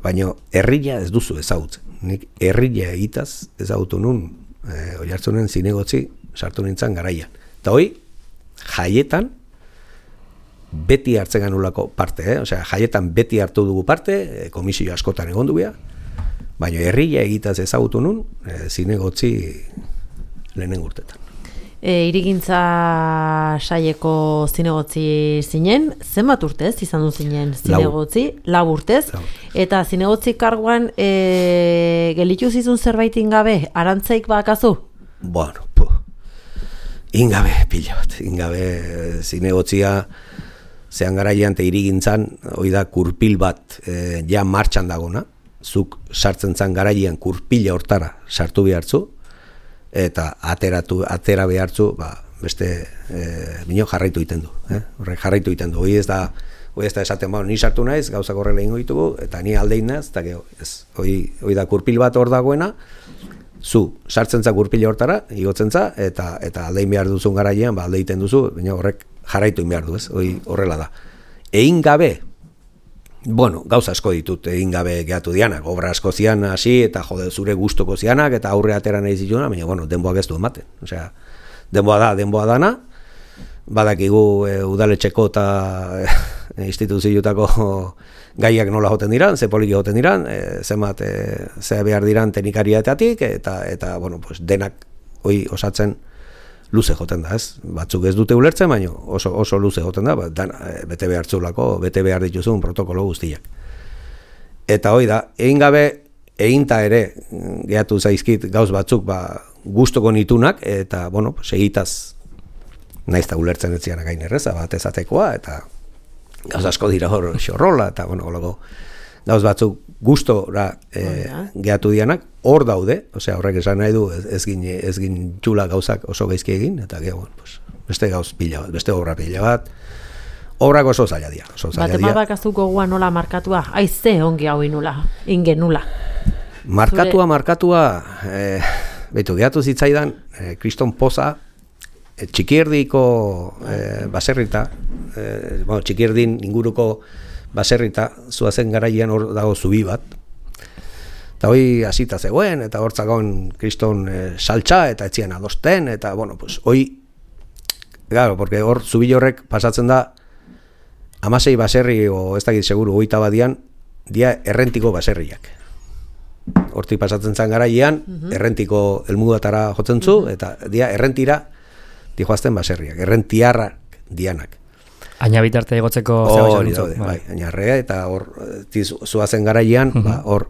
baina herria ez duzu ezautzen. Nik herria egitaz ezautu nun, Oiartzunen zinegotzi sartu nintzen garaian. Eta hoi, jaietan beti hartzen ganulako parte, jaietan beti hartu dugu parte, komisio askotan egon dugu, baina herria egitaz ezagutu nun, zinegotzi lehenen urtetan. Irigintza saieko zinegotzi zinen, zenbat urtez izan du zinen zinegotzi? Lau urtez. Eta zinegotzi karguan gelitu zizun zerbait ingabe, arantzaik bakazu? Bueno, ingabe, pila bat. Ingabe zinegotzia zehan garaian eta irigintzan, hoi da kurpil bat ja martxan dagona, zuk sartzen zan garaian kurpila hortara sartu behartzu, eta atera behartzu, beste bino jarraitu iten du. Horrek jarraitu iten du. Hoi ez da esaten, ni sartu naiz, gauzak horrela ingo ditugu, eta ni aldein naiz, eta hoi da kurpil bat hor dagoena, zu sartzen za kurpila hortara, igotzen za, eta aldein behar duzun garaian, alde iten duzu, baina horrek jarraitu behar du, hoi horrela da. Egin gabe, gauza asko ditut egin gabe gehatu dianak, obra asko zian hasi, eta zure gustoko zianak, eta aurre atera nahi zituna, baina denboak ez du ematen. Denboa dana, badakigu udaletxeko eta instituziotako gaiak nola joten diran, ze poliki joten diran, zenbat ze behar diran teknikarietatik, eta denak hoi osatzen luze joten da, ez? Batzuk ez dute ulertzen, baina oso luze joten da, bete behar zulako, bete behar dituzun protokolo guztiak. Eta hoi da, egin gabe, eginta ere, gehatu zaizkit gauz batzuk, gustoko nitunak, eta, segitaz, naizta ulertzen ez zianak gain erreza, bat ezatekoa, eta gauz asko dira hor xorrola, eta, gauz batzuk gustora gehatu dianak, hor daude, horrek esan nahi du, ez gin txula gauzak oso gaizki egin, eta beste gauz pila bat, beste obra pila bat, obrak oso zaila dira. Bat bakazuko gua nola markatua, aize ongi hau ingen nula. Markatua, behitu, gehatu zitzaidan, Kriston Poza, Txikierdiko baserrita, Txikierdin inguruko baserrita, zuazen garaian hor dago zubi bat, eta hoi hasita zegoen, eta hortzagon kriston saltza, eta etzian adosten, eta, bueno, pues, hoi, claro, porque hor zubi horrek pasatzen da, 16 baserri, o ez dakit seguru, 20 badian, dia errentiko baserriak. Hortik pasatzen zan garaian, errentiko elmugatara jotzen zu, eta dia errentira dijoazten baserriak, errentiarrak dianak. Aina bitarte egotzeko hori daude, bai, ainarrea, eta hor zuazen garaian, hor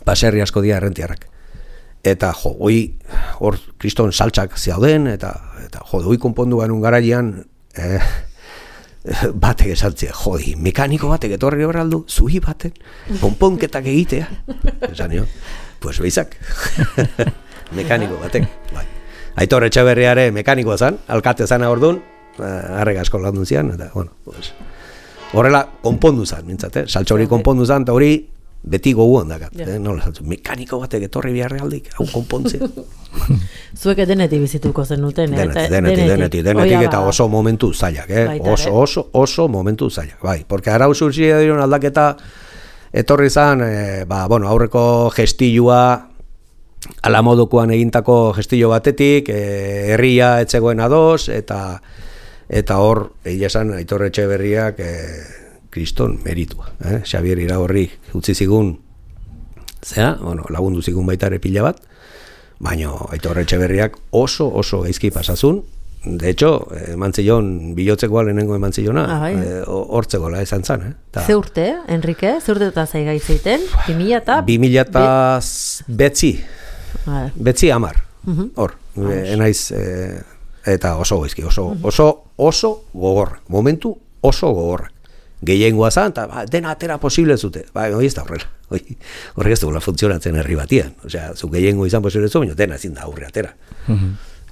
baserri asko dia errentiarrak. Eta jo, hor kriston saltsak zeuden, eta jo, hoi konpondu ganun garaian, batek esantzia, jodi, mekaniko batek etorri horraldu, zuhi baten, konponketak egitea. Esan jo, pues beizak, mekaniko batek. Bai. Aitor Etxeberriare mekanikoa zan, alkate zana orduan, harrek asko landun zian, eta, bueno, pues, horrela konpondu zan, mintzat, saltza hori konpondu zan, eta hori beti goguan dakat, nola saltzu, mekaniko batek etorri biharrealdik, hau konpontzea. Zuek denetik bizituko zenuten, denetik, eta oso momentu zailak, oso momentu zailak, bai, porque arau zurtzia diron aldaketa etorri zan, bueno, aurreko gestilua, ala modukoan egintako gestillo batetik, herria etzegoen ados, eta hor, egia esan, Aitor Etxeberriak kriston meritua, Xabier Iragorri utzi zigun, bueno, lagundu zigun baita ere pila bat, baina Aitor Etxeberriak oso gaizki pasazun, de hecho, emantzillon, bilotzekoa lehenengo emantzillona, hortzekola esan zan. Ze urte, Enrique? Ze urte eta zaigai zeiten? 2000 betzi 10, hor, enaiz, eta oso gaizki, oso gogorra, momentu oso gogorra. Gehiengoa zan, eta dena atera posible zute. Hoi ez da horrela. Horrek ez duela funtzionatzen herri batian. Osea, zu gehiengo izan posible zu, baina dena ezin da aurre atera.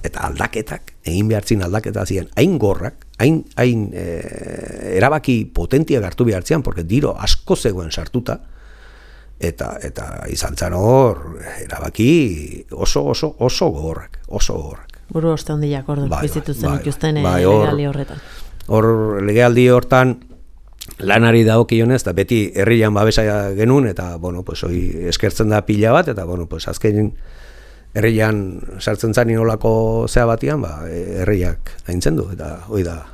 Eta aldaketak, egin behartzin aldaketa ziren, hain gorrak, hain erabaki potentia hartu behartzian, porque diro asko zegoen sartuta, eta izan zan hor, erabaki oso gogorrak. Buru oste hondiak ordu, bizituzen ikusten legealdi horretan. Hor legealdi hortan, lanari dagokionez, eta beti herrian babesa genuen, eta, bueno, pues, hoi eskertzen da pila bat, eta, bueno, pues, azken herrian sartzen zan inolako zea batian, herriak haintzen du, eta hoi da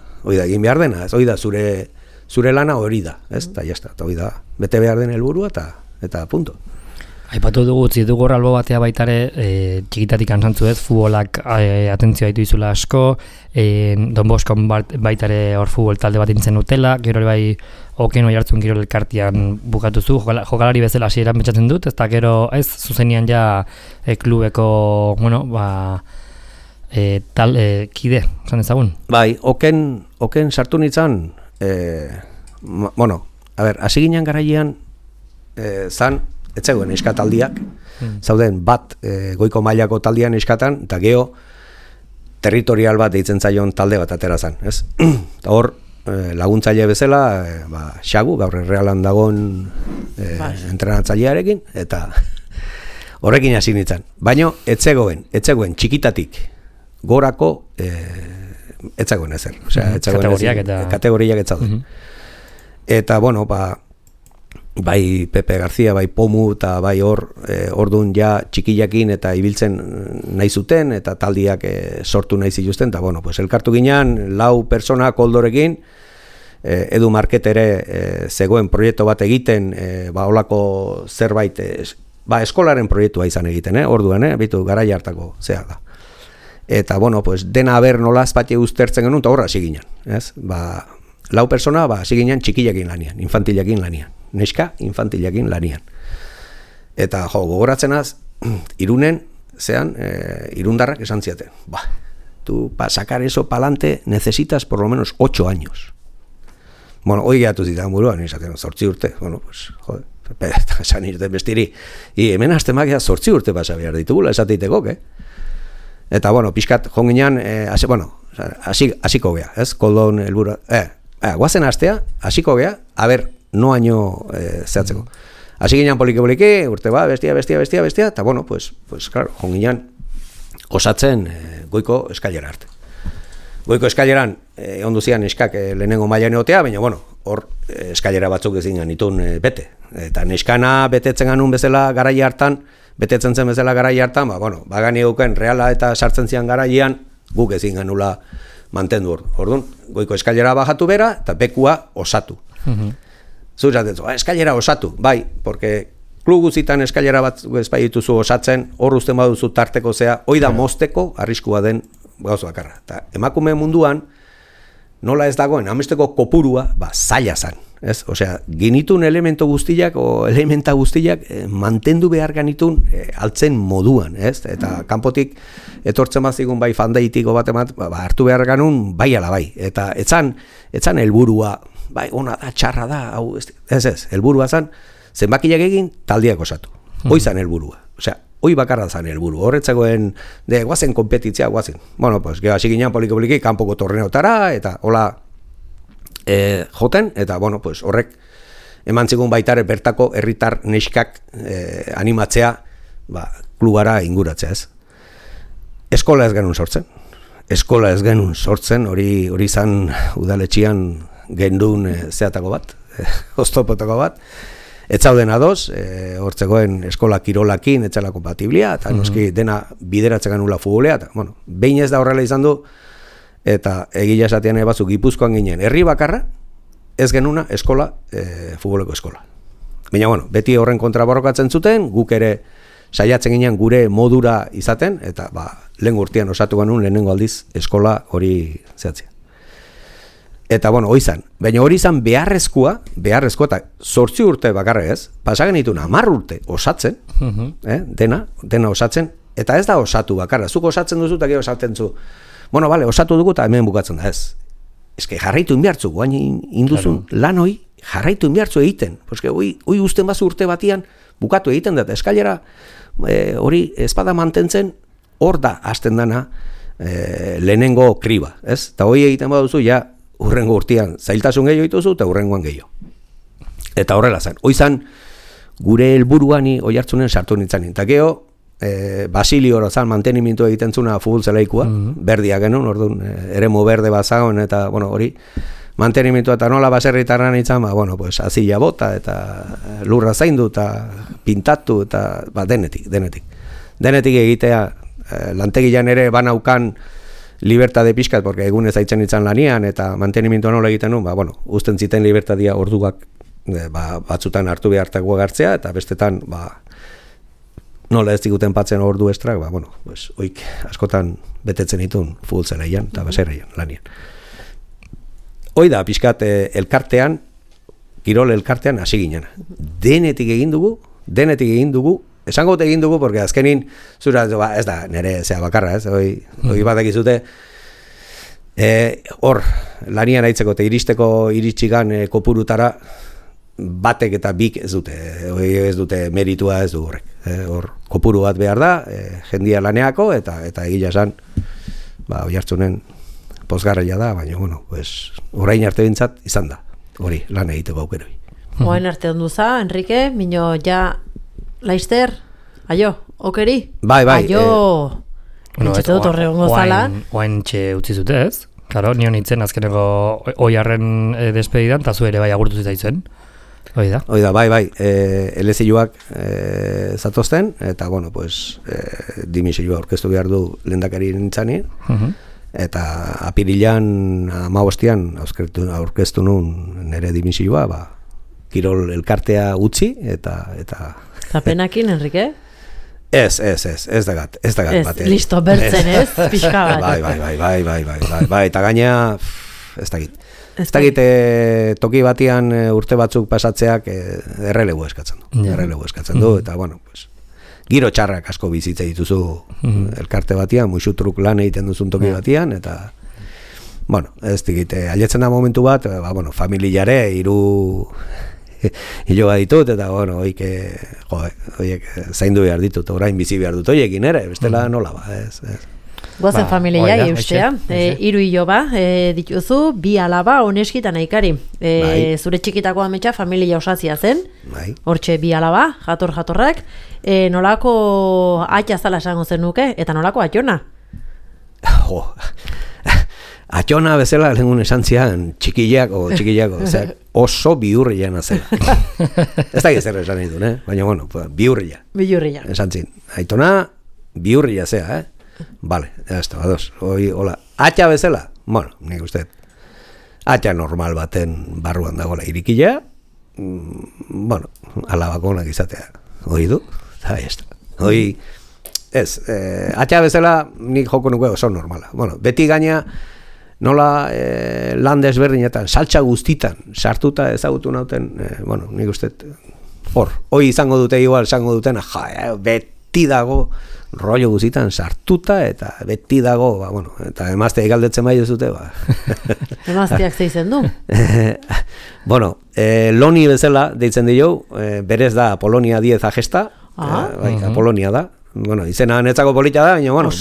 egin behar dena, hoi da zure lana hori da, ez? Eta jazta, eta hoi da, bete behar den helburua, eta punto. Aipatu dugu, dugu albo batea baitare, txikitatik antzantzu ez, futbolak atentzioa ditu izula asko, Don Boskon baitare hor futbol talde bat intzen utela, gero bai oken hori hartzun gero elkartian bukatuzu, jokalari bezala hasieran betxatzen dut, eta gero ez, zuzenian ja klubeko, bueno, kide, zan ezagun? Bai, oken sartu nintzen, bueno, a ber, hasi ginen garailean, zan, etzegoen eskataldiak, zauden bat goiko mailako taldian eskatan, eta geho territorial bat deitzen zaion talde bat atera zan, ez? Eta hor, laguntzaile bezala, Xagu, gaur Realan dagoen entrenatzailearekin, eta horrekin hasi nintzen. Baina, etzegoen txikitatik gorako etzegoen ezer. Osea, kategoriak etzauden. Eta, bueno, bai Pepe García, bai Pomu, eta bai ordun ja txikiakin eta ibiltzen nahi zuten, eta taldiak sortu nahi zituzten, eta bueno, pues elkartu ginean, 4 persona koldorekin, Edu Market ere zegoen proiektu bat egiten, holako zerbait, eskolaren proiektua izan egiten, orduan, bitu garai hartako zea da. Eta bueno, pues dena aber nola azpatxe uztertzen genuen, eta horra hasi ginen, ez? 4 persona, hasi ginen txikiakin lanian, infantilakin lanian. Neska infantilakin lanian. Eta gogoratzenaz, Irunen, irundarrak esan ziaten. Tú para sacar eso pa'lante necesitas por lo menos 8 años. Bueno, hoi gehatu zitan buruan, izaten 8 urte. Bueno, pues, joder, esan irten bestiri. Hemen aztemak 8 urte pasa behar ditugula, esateiteko, Eta, bueno, pixkat jonginan, hasiko gea, ez? Koldon helburu. Guazen astea, hasiko gea, a ber, no año zehatzeko. Hasi ginean poliki, urte bestia, eta bueno, pues claro, jonginean osatzen goiko eskailera arte. Goiko eskaileran ondu zian eskak lehenengo mailan egotea, baina bueno, hor eskailera batzuk ezin genitun bete. Eta neskana betetzen ganun bezala garai hartan, betetzen zen bezala garai hartan, bagani guken reala eta sartzen zian garaian, guk ezin genula mantendu hor. Orduan, goiko eskailera bajatu bera, eta bekua osatu. Zuratetzu, eskailera osatu, bai, porque klub guzitan eskailera bat ezpai dituzu osatzen, hor uzten baduzu tarteko zea, hoi da mozteko arriskua den gauza bakarra. Eta emakume munduan, nola ez dagoen, amesteko kopurua, zaila zan. Ez? Osea, genitun elemento guztiak o elementa guztiak mantendu behar genitun altzen moduan, ez? Eta kanpotik etortzen bazigun bai fandaitiko bat emat, hartu behar ganun bai ala bai. Eta etzan helburua, bai, ona da, txarra da, hau, ez, helburua zan, zenbakiak egin taldiak osatu. Hoi zan helburua. Osea, hoi bakarra zan helburu. Horretzagoen, guazen kompetitzia, guazen. Bueno, pues, geha hasi ginean poliki kanpoko torneotara, eta hola joten, eta, bueno, pues, horrek eman zigun baitare bertako herritar neskak animatzea, klubara inguratzea, ez. Eskola ez genuen sortzen. Eskola ez genuen sortzen, hori zan udaletxian gendun zeatako bat, oztopotako bat. Ez zauden adoz, hortzegoen eskola kirolakin, etzela kompatiblia, eta noski dena bideratzen ganula futbolea, eta, bueno, behin ez da horrela izan du, eta egila esatean batzuk Gipuzkoan ginen, herri bakarra, ez genuna eskola, futboleko eskola. Baina, bueno, beti horren kontra borrokatzen zuten, guk ere saiatzen ginen gure modura izaten, eta, lehen urtean osatu genuen lehenengo aldiz eskola hori zehatzea. Eta, bueno, hori izan. Baina hori izan beharrezkoa, eta 8 urte bakarra ez, pasagen dituna 10 urte osatzen, dena osatzen, eta ez da osatu bakarra. Zuk osatzen duzu eta gero osatzen zu. Bueno, vale, osatu dugu eta hemen bukatzen da ez. Eske jarraitu inbiartzu, guain induzun lan hoi, jarraitu inbiartzu egiten. Eske hoi usten bazu urte batian, bukatu egiten da, eta eskailera hori espada mantentzen, hor da hasten dana lehenengo kriba, ez? Eta hoi egiten baduzu, ja, urrengo urtean zailtasun gehiago dituzu eta urrengoan gehiago. Eta horrela zen. Hoi zan, gure helburuani oihartzunen sartu nintzen. Eta geho, Basilio horozan mantenimientu egiten zuna futbol zelaikua, berdia genuen, orduan, eremu berde bazagon, eta, bueno, hori, mantenimientu eta nola baserritarran nintzen, pues, azila bota, eta lurra zaindu, eta pintatu, eta, denetik. Denetik egitea, lantegian ere banaukan libertade pixkat, porque egunez haitzen nintzen lanian, eta mantenimientua nola egiten nuen, usten ziten libertadia orduak batzutan hartu behartakoa gartzea, eta bestetan, nola ez diguten patzen ordu estrak, pues, oik askotan betetzen ditun futbol zelaian eta baserrian lanian. Hoi da, pixkat elkartean, kirol elkartean hasi ginen. Denetik egin dugu, esango dut egin dugu, porque azkenin, zura, ez da, nire zea bakarra, ez, hoi bat egizute, hor, lanian aitzeko eta iritsigan kopurutara, batek eta bik ez dute meritua ez du horrek. Hor kopuru bat behar da, jendia laneako, eta egila esan, oihartzunen pozgarria da, baina, bueno, pues, orain arte bintzat izan da, hori, lan egiteko aukeroi. Orain arte onduza, Enrique, mino, ja, Laister, aio, okeri? Bai, aio, entxete dut horre ongo zala. Oain txe utzi zute ez? Karo, nion nintzen azkeneko oiarren despedidan, eta zu ere bai agurtu zitaitzen. Oida, bai, elezioak zatozten, eta, bueno, pues, dimisioa orkestu behar du lehendakari nintzani, eta apirilan 15 aurkeztu nun nire dimisioa, kirol elkartea utzi, eta penakin, Enrique? Ez da gat bat. Listo, bertzen ez, pixka bat. Bai, eta gaina, ez da git. Ez dakit toki batian urte batzuk pasatzeak errelegu eskatzen du. Eta, bueno, pues, giro txarrak asko bizitza dituzu elkarte batian, muixutruk lan egiten duzun toki batian, eta, bueno, ez dakit, aletzen da momentu bat, familiare, 3 hiloa ditut, eta, bueno, oiek zaindu behar ditut, orain bizi behar dut, oiekin ere, bestela nola ez. Goazen familia, eustea, 3 hilo dituzu, 2 alaba oneskitan aikari. Zure txikitako ametsa familia osazia zen, hortxe 2 alaba, jatorrak, nolako atxa zala esango zen nuke, eta nolako atxona? Atxona bezala lehengun esan zian txikiako, oso bihurriana zela. Ez da zer esan nahi duen, baina bueno, bihurria. Bihurria. Esan zin, Aitona bihurria zea, Vale, ya está, ados. Hola, atxa bezala, bueno, nik uste, atxa normal baten barruan dagoela irikila, bueno, alabakonak izatea, hori du, eta ez da. Hoi, ez, atxa bezala nik joko nuke oso normala. Bueno, beti gaina, nola lan desberdinetan, saltsa guztitan, sartuta ezagutu nauten, bueno, nik uste, hoi izango dute igual, izango duten, beti dago, rollo guztitan sartuta, eta beti dago, bueno, eta emaztea galdetzen bai ez dute, Emazteak zeitzen du? Bueno, Loni bezala deitzen dio, berez da Apolonia Diez Agesta, Apolonia da, bueno, izena netzako polita da, baina, bueno,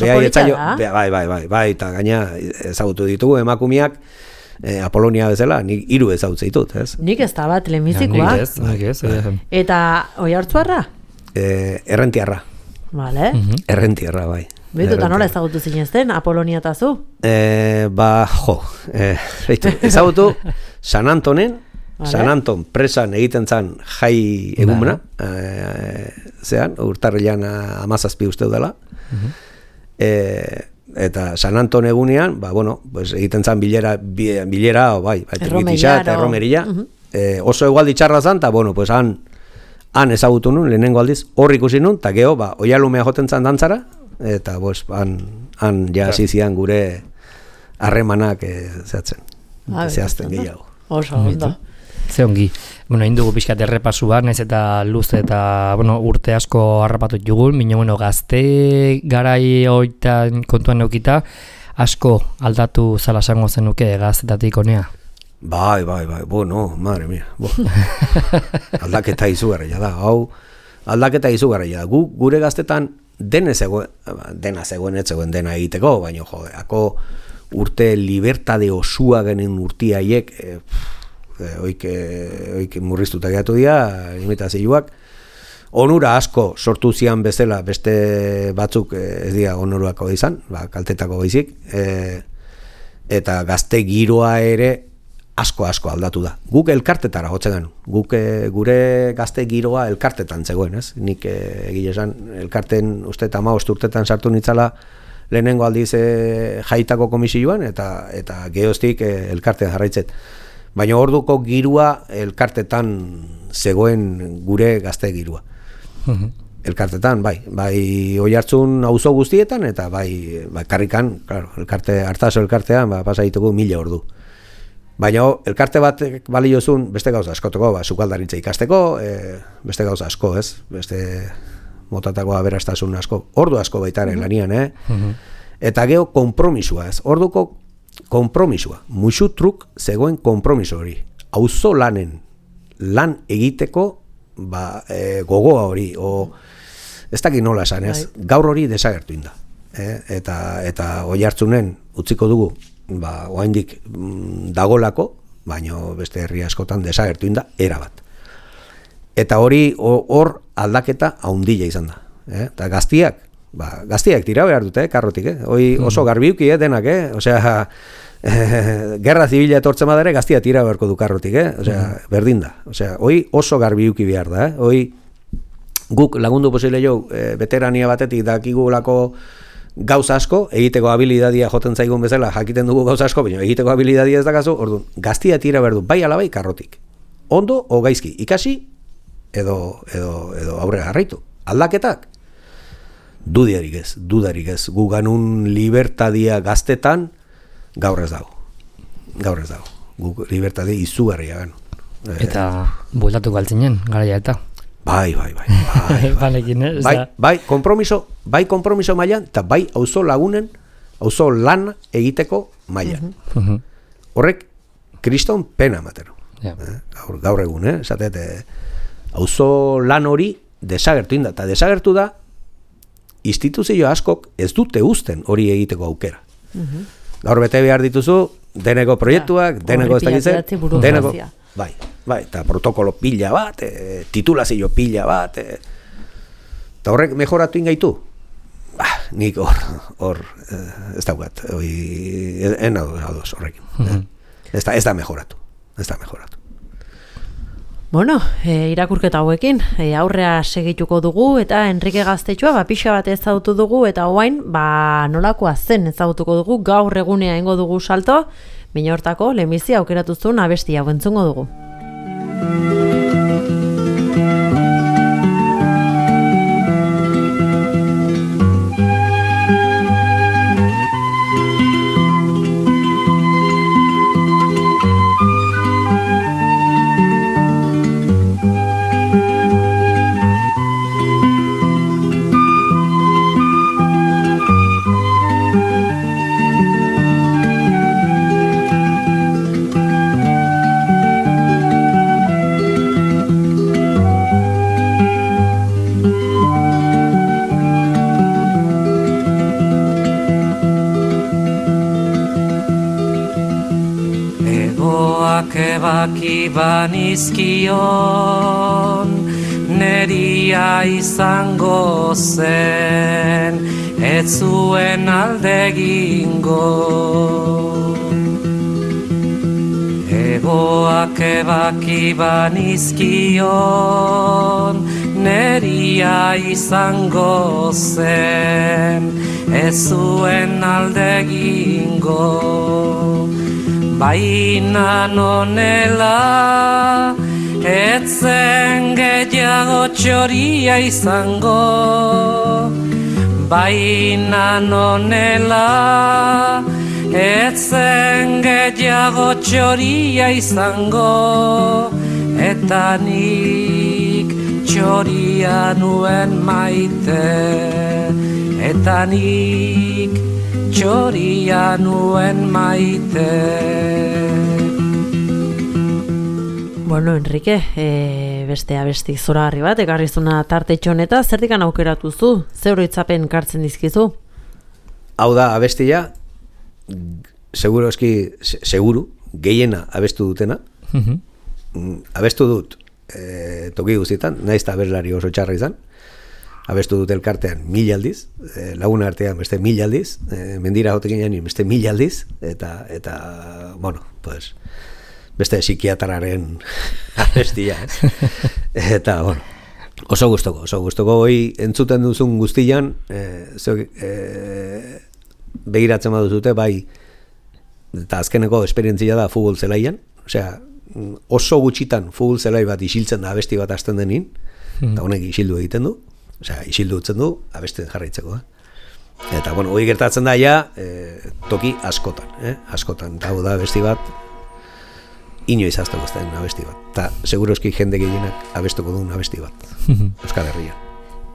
bai, eta gaina ezagutu ditugu emakumiak, Apolonia bezala, nik 3 ezagutze ditut, ez? Nik ez da bat lehenbizikoa. Nik ez. Eta Oiartzuarra? Errentiarra. Vale. Errentiarra, bai. Betu, eta nola ezagutu zinezten, Apolonia eta zu? Ezagutu San Antonen, San Anton presan egiten zan jai egumena, zean, urtarrilan 17 uste dela, eta San Anton egunean, bueno, pues egiten zan bilera, eta erromeria, oso egualdi txarra zan, eta bueno, pues han ezagutu nun, lehenengo aldiz, hor ikusi nun, eta geho, oialumea joten zan dantzara, eta pues, han ja zizian gure harremanak zehazten gehiago. Oso, ondo. Ze ongi. Bueno, indugu pixkat errepasu bat, naiz eta luze eta, bueno, urte asko harrapatu jugun, minio, bueno, gazte garai hoitan kontuan neukita, asko aldatu zala esango zenuke gaztetatik honea. Bai, bueno, madre mia. Aldaketa izugarria da, aldaketa izugarria da. Gure gaztetan dena zegoen dena egiteko, baina jode, ako urte libertade osua genen urtiaiek, oik murriztuta gehiatu dira, imitazioak, onura asko sortu zian bezala, beste batzuk ez dira onoruako izan, kaltetako baizik, eta gazte giroa ere asko aldatu da. Guk elkartetara jotzen ganu. Gure gazte giroa elkartetan zegoen, ez? Nik egile esan, elkarten uste 15 urtetan sartu nitzala lehenengo aldiz jaitako komisioan, eta geoztik elkartean jarraitzet. Baina orduko girua elkartetan zegoen gure gazte girua. Elkartetan, bai Oiartzun auzo guztietan, eta bai karrikan, claro, Artaso elkartean, pasaituko 1000 ordu. Baina elkarte bat baliozun beste gauza askoteko, sukaldaritza ikasteko, beste gauza asko, ez? Beste motatako aberastasun asko, ordu asko baitaren lanian, Eta geho konpromisua, ez? Orduko konpromisua, musutruk zegoen konpromiso hori. Auzo lanen lan egiteko gogoa hori, ez dakit nola esan, ez? Gaur hori desagertu inda. Eta Oiartzunen utziko dugu, oraindik dagolako, baino beste herri askotan desagertu inda, erabat. Eta hori hor aldaketa haundila izan da. Eta gaztiak tira behar dute, karrotik, hoi oso garbiuki, denak, osea, gerra zibila etortzen badare, gaztia tira beharko du karrotik, osea, berdin da. Osea, hoi oso garbiuki behar da, hoi guk lagundu posible jo, veterania batetik dakigulako gauza asko, egiteko habilidadia joten zaigun bezala, jakiten dugu gauza asko, baina egiteko habilidadia ez da gazu, orduan, gaztia tira behar du, bai alabai karrotik. Ondo o gaizki, ikasi, edo aurrera jarraitu. Aldaketak, dudarik ez. Gu ganun libertadia gaztetan, gaur ez dago. Gu libertadia izugarria ganu. Eta bueltatu galtzinen, garaia eta. Bai. Konpromiso mailan, eta bai auzo lagunen, auzo lan egiteko mailan. Horrek, kriston pena matero. Gaur egun, esatet, auzo lan hori desagertu inda, eta desagertu da, instituzio askok ez dute uzten hori egiteko aukera. Gaur bete behar dituzu, deneko proiektuak, deneko ez dakitzen, deneko, bai, eta protokolo pila bat, titulazio pila bat, eta horrek mejoratu ingaitu. nik hor ez daukat, en ados horrekin. Ez da mejoratu. Bueno, irakurketa hauekin, aurrea segituko dugu eta Enrique Gaztetxoa pixa bat ezagutu dugu eta orain nolakoa zen ezagutuko dugu, gaur egunea eingo dugu salto, baina hortako lehenbizi aukeratu zuen abesti hau entzungo dugu. Ebaki banizkion neria izango zen, ez zuen aldegingo. Egoak ebaki banizkion neria izango zen, ez zuen aldegingo. Baina nonela, etzen gehiago txoria izango. Baina nonela, etzen gehiago txoria izango. Eta nik txoria nuen maite, eta nik txoria nuen maite. Bueno, Enrique, beste abesti zoragarri bat, ekarrizuna tarte txoneta, zertikan aukeratu zu? Zeuro itzapen kartzen dizkizu? Hau da abestia, seguru, gehiena abestu dutena. Abestu dut toki guztietan, naiz eta abeslari oso txarra izan. Abestu dut elkartean 1000 aldiz, lagun artean beste 1000 aldiz, mendira jotekin janin beste 1000 aldiz, eta bueno, pues, beste psikiatraren abestia, eta, bueno, oso gustoko hoi entzuten duzun guztian, begiratzen baduzute, bai, eta azkeneko esperientzia da futbol zelaian, osea, oso gutxitan futbol zelai bat isiltzen da abesti bat hasten denin, eta honek isildu egiten du, osea, isildu utzen du, abesten jarraitzeko. Eta, bueno, hori gertatzen da ja, toki askotan, eta hau da abesti bat, inoiz azteko ez den abesti bat. Eta, seguroski jende gehienak abestuko duen abesti bat, Euskal Herrian.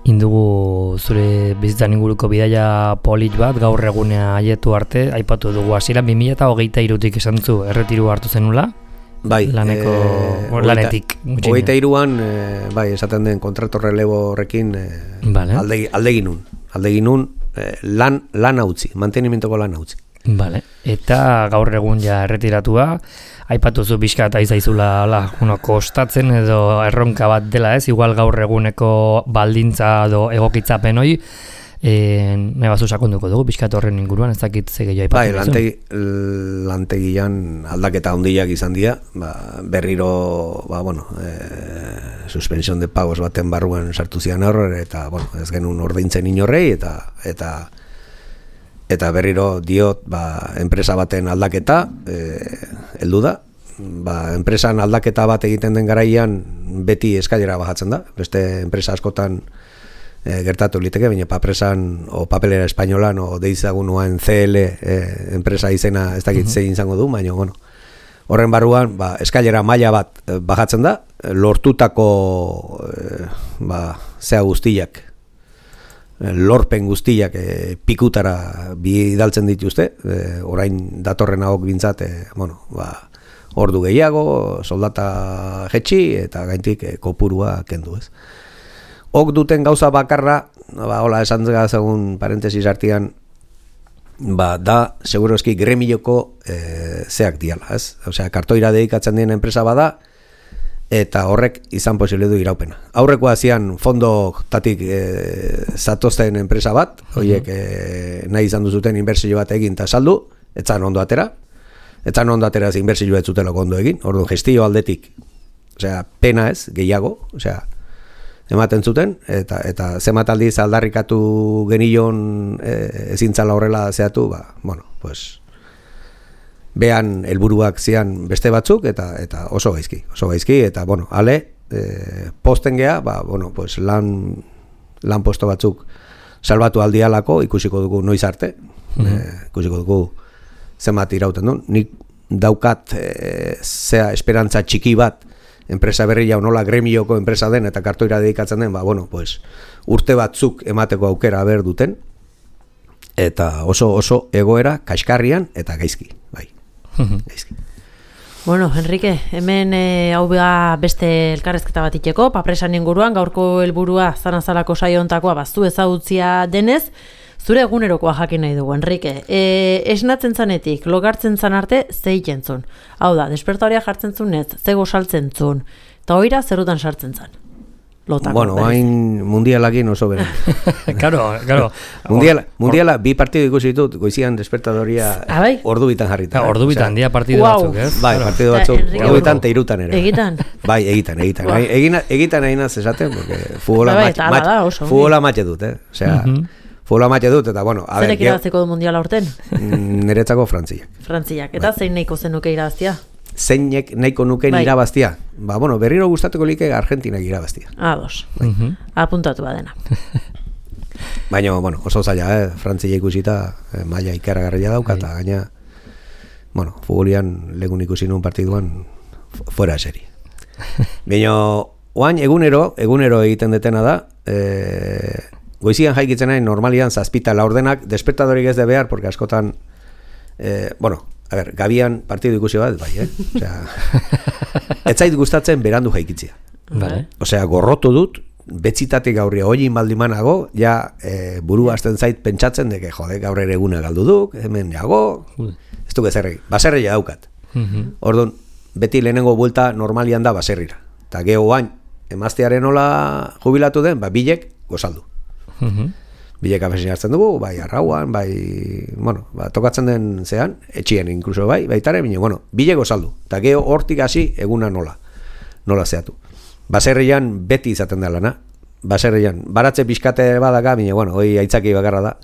Indugu zure bizitzan inguruko bidaia polit bat, gaur egunea aietu arte, aipatu dugu hasieran 2023tik esan zu, erretiru hartu zenula? Bai, lanetik. 23an, bai, esaten den kontratu relebo horrekin aldeginun lan hautzi, mantenimentoko lan hautzi. Vale. Eta gaur egun ja erretiratua, aipatu zu pixka eta izaizula kostatzen edo erronka bat dela ez, igual gaur eguneko baldintza edo egokitzapen hoi, nahi bazu sakonduko dugu, pixkat horren inguruan, ez dakit ze gehiago aipatu. Bai, lantegian aldaketa handiak izan dira, berriro, suspensión de pagos baten barruan sartu zian horre, eta, bueno, ez genuen ordaintzen inorrei, eta berriro diot, enpresa baten aldaketa, heldu da, enpresan aldaketa bat egiten den garaian, beti eskailera bajatzen da, beste enpresa askotan, gertatu liteke, baina papresan o papelera espainolan o deizagunuan CL enpresa izena ez dakit zein izango du, baina bueno, horren barruan eskailera maila bat bajatzen da, lortutako zea guztiak, lorpen guztiak pikutara bidaltzen dituzte, orain datorren hauek bintzat, ordu gehiago, soldata jetxi eta gaintik kopurua kendu ez. Ok duten gauza bakarra, hola esan zegoen parentesis artean, da seguroski gremioko zeak diala, ez? Osea, kartoira dedikatzen dien enpresa bada, eta horrek izan posible du iraupena. Aurreko hasian fondotatik zatozten enpresa bat, horiek nahi izan duzuten inbertsio bat egin eta saldu, etzan ondo atera, inbertsioa ez zutela ondo egin, orduan gestio aldetik, osea, pena ez, gehiago, osea, ematen zuten, eta zenbat aldiz aldarrikatu genion ezintzala horrela zehatu, bueno, pues, behan helburuak zian beste batzuk, eta oso gaizki, eta, bueno, posten gea, bueno, pues, lan posto batzuk salbatu aldialako, ikusiko dugu noiz arte, ikusiko dugu zenbat irauten duen, nik daukat zea esperantza txiki bat, enpresa berria nola gremioko enpresa den eta kartoira dedikatzen den, bueno, pues, urte batzuk emateko aukera ber duten, eta oso egoera kaskarrian eta gaizki, bai. Gaizki. Bueno, Enrique, hemen hau beste elkarrezketa bat iteko, papresan inguruan, gaurko helburua zanazalako saio hontakoa baztu ezagutzia denez, zure egunerokoa jakin nahi dugu, Enrique. Esnatzen zanetik, logartzen zan arte, zei jentzun. Hau da, despertoria jartzen zunez, zego saltzen zun, eta oira zerutan sartzen zan. Lotako, bueno, hain mundialakin oso beren. Claro. Mundiala, bi partidu ikusi ditut, goizian despertadoria ordu bitan jarrita. Ordu bitan, dia partidu batzuk, ez? Bai, partidu batzuk, ordu bitan te irutan ere. Egitan? Bai, egitan. Egitan egin az esaten, porque futbola matxe dut, Osea, futbola matxe dut, eta bueno. Zerek irabazteko du mundiala urten? Niretzako Frantziak. Frantziak, eta zein nahiko zenuke irabaztia? Zeinek nahiko nuken irabaztia. Bueno, berriro gustatuko like Argentinak irabaztia. Ados. Apuntatu badena. Baina, bueno, oso zaila, Frantzia ikusita maila ikaragarria dauka, eta gaina, bueno, futbolian legun ikusi nuen partiduan fuera serie. Baina, oain egunero egiten detena da, goizian jaikitzen nahi normalian zazpita laurdenak, despertadorik ez de behar, porque askotan, bueno, a ver, gabian partidu ikusi bat, bai, Osea, ez zait gustatzen berandu jaikitzia. Vale. Osea, gorrotu dut, betzitatik gaurria hoiin baldimanago, ja buru hasten zait pentsatzen deke, jode, gaur ere eguna galdu duk, hemen jago, ez duk ezerregi, baserria daukat. Orduan, beti lehenengo buelta normalian da baserrira. Eta geho bain, emaztearen nola jubilatu den, bilek gozaldu. Bilek afesin hartzen dugu, bai arrauan, bai, bueno, tokatzen den zean, etxien inkluso baitare, bine, bueno, bilek gozaldu. Eta geho hortik hasi eguna nola zehatu. Baserrian beti izaten da lana. Baserrian, baratze pixkate badaka, bine, bueno, hoi aitzaki bakarra da.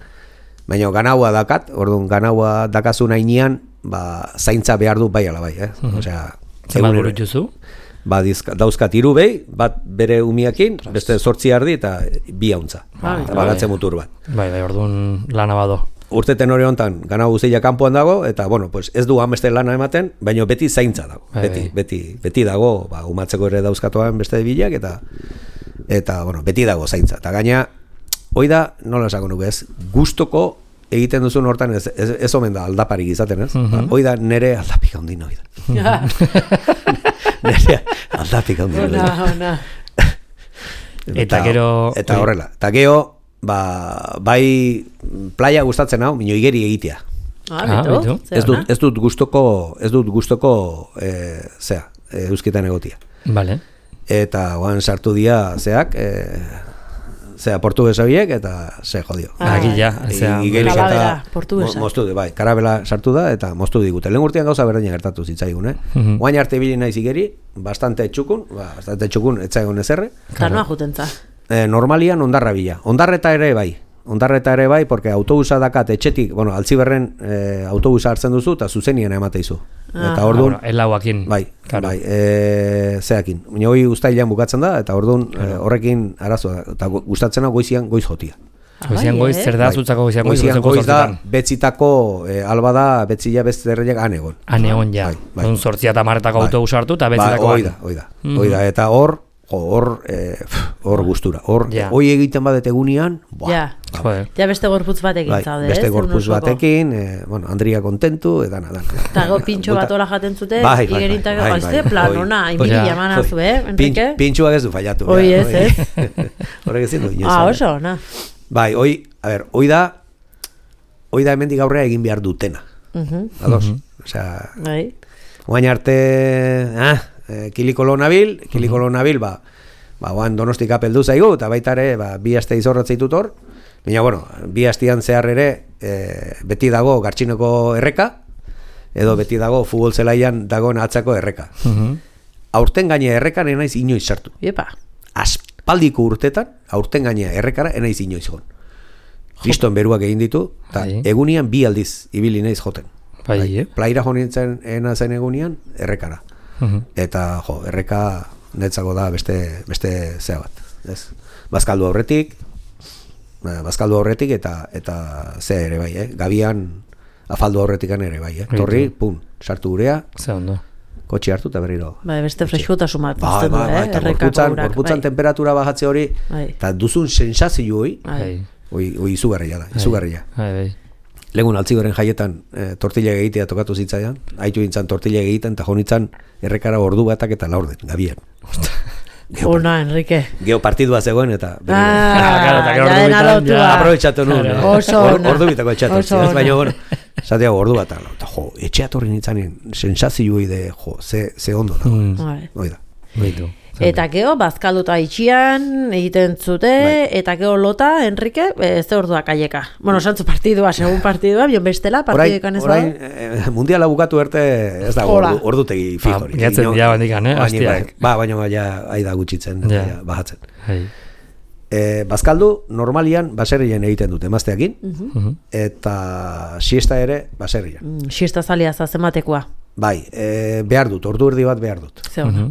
Baina ganaua dakat, orduan ganaua dakazu nahinean, zaintza behar du bai ala bai, Osea, zer burutzuzu? Dauzkat hiru behi, bat bere umiakin, beste 8 ardi eta 2 hauntza. Baratze mutur bat. Bai, orduan lana bado. Urteten hori hontan, gana guztia kanpoan dago, eta, bueno, pues ez du hameste lana ematen, baina beti zaintza dago. Beti dago, umatzeko ere dauzkatuan beste bilak, eta, bueno, beti dago zaintza. Eta gaina, hoi da, nola esako nuke ez, gustoko egiten duzun hortan ez omen da aldaparik izaten, ez? Hoi da nere aldapik handin hoi da. Nere aldapik handin hoi da. Eta gero... Eta horrela. Eta gero, bai playa gustatzen hau, minio igeri egitea. Beto? Ez dut gustoko euskitan egotia. Vale. Eta oan sartu dia zeak, portugesa biek, eta ze jodio. Agila. Karabela, portugesa. Moztu du, bai, karabela sartu da, eta moztu digute. Lehen urtean gauza berdina gertatu zitzaigun, Oain arte bili naiz igeri, bastante txukun, etzaigun ezerre. Tarnoa jutentza. Normalian ondarra bila. Ondarreta ere bai, porque autobusa dakat etxetik, bueno, Altziberren autobusa hartzen duzu, eta zuzenien emateizu. Eta orduan... Elauakin. Bai, zeakin. Baina hoi ustailean bukatzen da, eta orduan horrekin arazoa da. Eta gustatzen hau goizian goiz jotia. Goizian goiz, zer da zutzako goizian goiz? Goizian goiz da, betzitako, alba da, betzila bezterreiak anegon. Anegon, ja. Hon 8 eta 10 autobusa hartu, eta betzitako... Hoi da, eta hor gustura. Hoi egiten badet egunean, ja beste gorputz batekin zaude, beste gorputz batekin, Andria kontentu, edana. Eta pintxo bat hola jaten zute, igerintak gaizte, planona, inbiri jamanazu, Enrique? Pintxoak ez du fallatu. Hoi ez. Horrek ezin du. Oso, na. Bai, hoi da hemendik aurrea egin behar dutena. Ados? Osea, oain arte, kilikolo nabil, oan Donostik apeldu zaigu, eta baita ere, bi aste izorratzea ditut hor, baina, bueno, bi astean zehar ere, beti dago Gartxinoko erreka, edo beti dago futbol zelaian dagoen atzako erreka. Aurten gaine errekan enaiz inoiz sartu. Iepa. Aspaldiko urtetan, aurten gaine errekara enaiz inoiz gon. Kriston beruak egin ditu, eta egunian bi aldiz ibili naiz joten. Plaira jo nintzen zen egunian, errekara. Eta, erreka netzako da beste zea bat. Bazkaldu aurretik eta ze ere bai, Gabian afaldu aurretikan ere bai, Torri, sartu gurea. Ze ondo. Kotxe hartu eta berriro. Beste freskotasun bat pazten du, errekako urak. Gorputzan temperatura bajatze hori, eta duzun sensazio hori izugarria da, izugarria. Legun altzigoren jaietan tortilla egitea tokatu zitzaidan, haitu gintzan tortilla egiten, eta jonitzan errekara ordu batak eta laurden, Gabian. Ona, Enrique. Geo partidua zegoen eta aprobetxatu nuen. Ordu bitako etxatu. Baina, bueno, zatea ordu bat. Etxeatorri nintzanen sensazioi de, ze ondo da. Oida. Eta gero, bazkalduta itxian, egiten zute, eta gero lota, Enrique, ze orduak aieka. Bueno, santzu partidua, segun partidua, bion bestela, partiduekan ez da? Orain, mundiala bukatu erte, ez da, ordutegi fijori. Gatzen dia bandikan, hastiak. Baina aida gutxitzen, bajatzen. Bazkaldu, normalian, baserrien egiten dute, emazteakin, eta siesta ere, baserrian. Siesta zalia zazematekoa. Bai, behar dut, ordu erdi bat behar dut.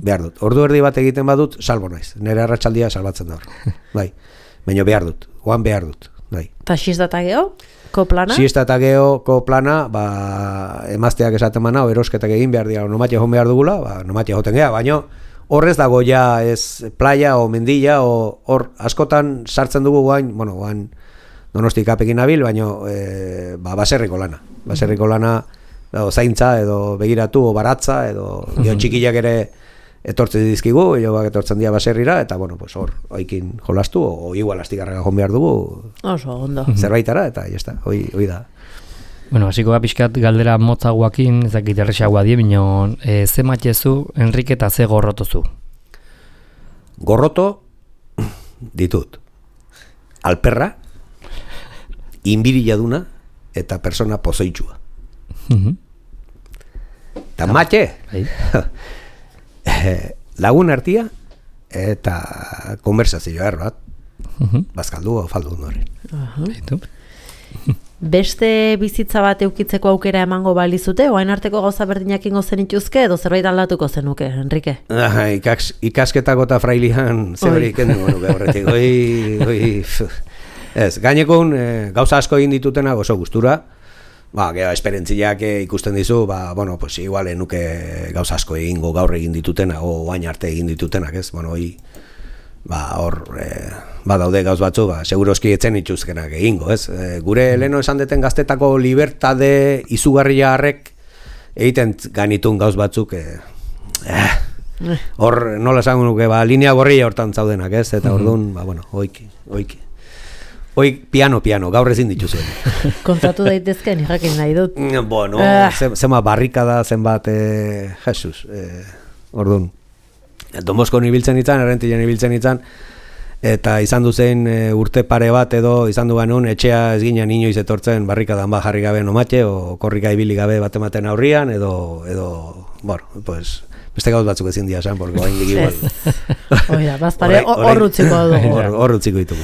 Behar dut. Ordu erdi bat egiten badut, salbo naiz. Nire arratsaldia salbatzen da hor. Bai, baina behar dut, oan behar dut. Bai. Ta siesta eta geho, ko plana? Siesta eta geho, ko plana, emazteak esaten mana, erosketak egin behar dira, nomatia joan behar dugula, nomatia joten geha, baina horrez dago ja ez playa o mendilla, hor askotan sartzen dugu guain, guain Donostik apekin nabil, baina baserriko lana. Baserriko lana, zaintza edo begiratu o baratza edo txikiak ere etortzen dizkigu, joak etortzen dira baserrira eta hor oikin jolastu o igual astigarraga joan behar dugu. Oso ondo. Zerbaitara eta jazta, hoi da. Bueno, hasiko da pixkat galdera motzagoakin, ezakit erresagoa die, bino ze matxezu Enrique eta ze gorrotozu? Gorroto ditut. Alperra, inbirilladuna eta persona pozoitxua. Eta matxe lagun artia eta konversazio erbat bazkaldu o faldu horren. Beste bizitza bat eukitzeko aukera emango balizute, oain arteko gauza berdinak ingo zenituzke edo zerbait aldatuko zenuke, Enrique? Ikasketako eta frailian zeberik endugu nuke horretik. Gainekun gauza asko egin ditutena oso gustura. Gero esperentziak ikusten dizu, igual nuke gauza asko egingo gaur egin ditutena, o oain arte egin ditutenak, ez? Hor, daude gauz batzu, seguroski etzen itxuzkenak egingo, ez? Gure leno esan deten gaztetako libertade izugarria harrek egiten ganitun gauz batzuk, hor, nola esan nuke, linea gorria hortan zaudenak, ez? Eta orduan, oiki. Hoi piano, gaur ezin dituzuen. Kontatu daitezke, jakin nahi dut. Bueno, zenbat barrikada, zenbat, Jesus, orduan. Domoskon ibiltzen itzan, errentilen ibiltzen itzan, eta izan duzen urte pare bat edo izan du ganun, etxea ez ginen inoiz etortzen barrikadan jarri gabe nomate, o korrika ibili gabe bat ematen aurrian, edo, beste gauz batzuk ezin dia esan, porque hain dik igual. Oida, bazpare, horrutziko dugu. Horrutziko ditugu.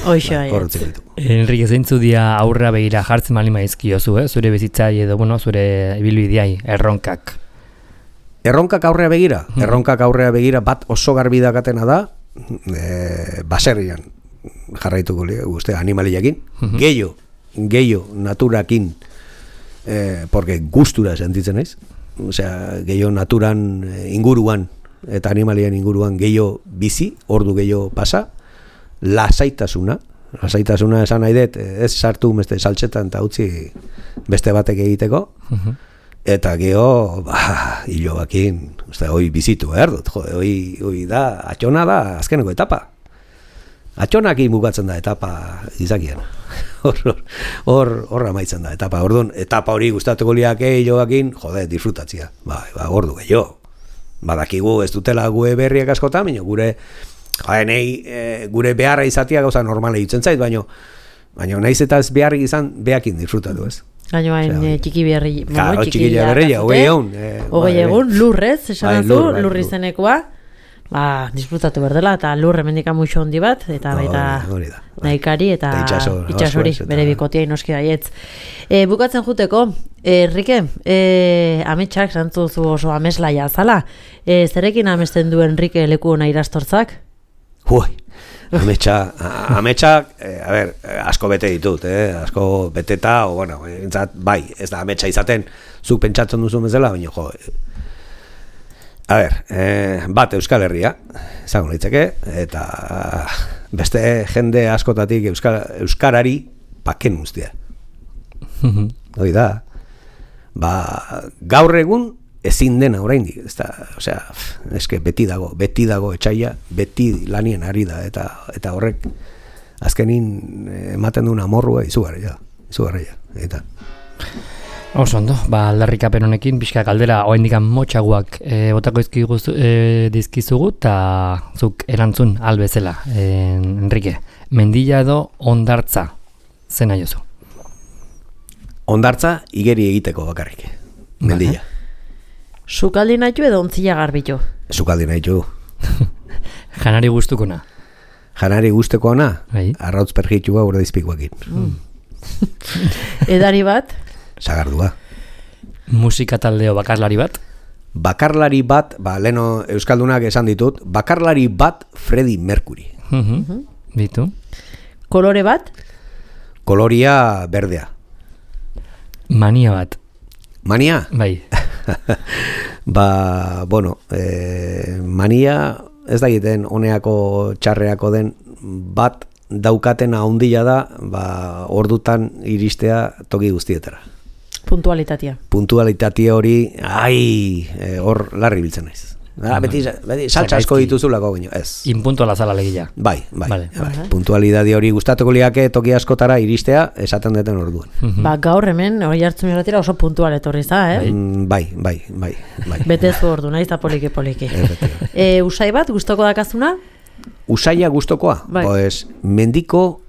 Enrique, zeintzu dia aurra begira jartzen malima izkiozu, zure bizitzai edo, zure ibilbideai, erronkak. Erronkak aurrea begira? Erronkak aurrea begira bat oso garbi dakatena da, baserrian jarraituko guzti animaliakin, gehiago naturakin, porque gustura sentitzen naiz. Osea, gehiago naturan inguruan eta animalien inguruan gehiago bizi, ordu gehiago pasa, lasaitasuna esan nahi dut, ez sartu beste saltxetan eta utzi beste batek egiteko, eta gehiago, hiloakin, hoi bizitu behar dut, hoi da, atxona da, azkeneko etapa. Atxonakin bukatzen da etapa izakian. Hor amaitzen da etapa. Orduan, etapa hori gustatuko liake hiloakin, disfrutatzia. Ordu gehiago. badakigu ez dutela gue berriak askotan, baina gure beharra izatea gauza normala itzen zait, baina naiz eta ez beharrik izan behakin disfrutatu, ez? Gaino hain txiki berri, txiki berria, hogei egun, lurrez, esan zu, lurri zenekoa, disfrutatu berdela, eta lur hemendik muixo hondi bat, eta baita nahikari, eta itxasori, bere bikotia inoski baietz. Bukatzen juteko, Enrique, ametsak, zantzuzu oso ameslaia zala, zerekin amesten du Enrique leku hona irastortzak? Ametsak, asko bete ditut, asko beteta, bai, ez da ametsa izaten, zuk pentsatzen duzu bezala, baina bat Euskal Herria, esango litzeke, eta beste jende askotatik Euskarari paken guztia. Hoi da, gaur egun ezin dena oraindik, eske beti dago etxaila, beti lanien ari da, eta horrek azkenin ematen duen amorrua izugarria, eta oso ondo, aldarrikapen honekin pixka galdera oraindik motxaguak botako dizkizugu eta zuk erantzun albezela, Enrique. Mendilla edo hondartza zen naiozu? Hondartza igeri egiteko bakarrik. Mendilla. Sukaldi nahitu edo ontzila garbitu? Sukaldi nahitu. Janari guztukona? Janari guztukona? Arrautz pergitua urde dizpikoakin. Edari bat? Sagardua. Musika taldeo bakarlari bat? Bakarlari bat, leno Euskaldunak esan ditut, bakarlari bat Freddie Mercury. Bitu. Kolore bat? Koloria berdea. Mania bat? Mania? Bai. Mania ez da egiten honeako txarreako den bat daukatena handia da, ordutan iristea toki guztietara. Puntualitatea hori, hor larri biltzen naiz. Beti saltza asko dituzulako baino, ez. Inpuntuala zala legia. Bai. Puntualidade hori gustatuko liake toki askotara iristea esaten deten orduan. Gaur hemen, hori hartzen miratira oso puntual etorri za, Bai. Betezu ordu, nahiz da poliki. Usai bat, gustoko dakazuna? Usaia gustokoa? Mendiko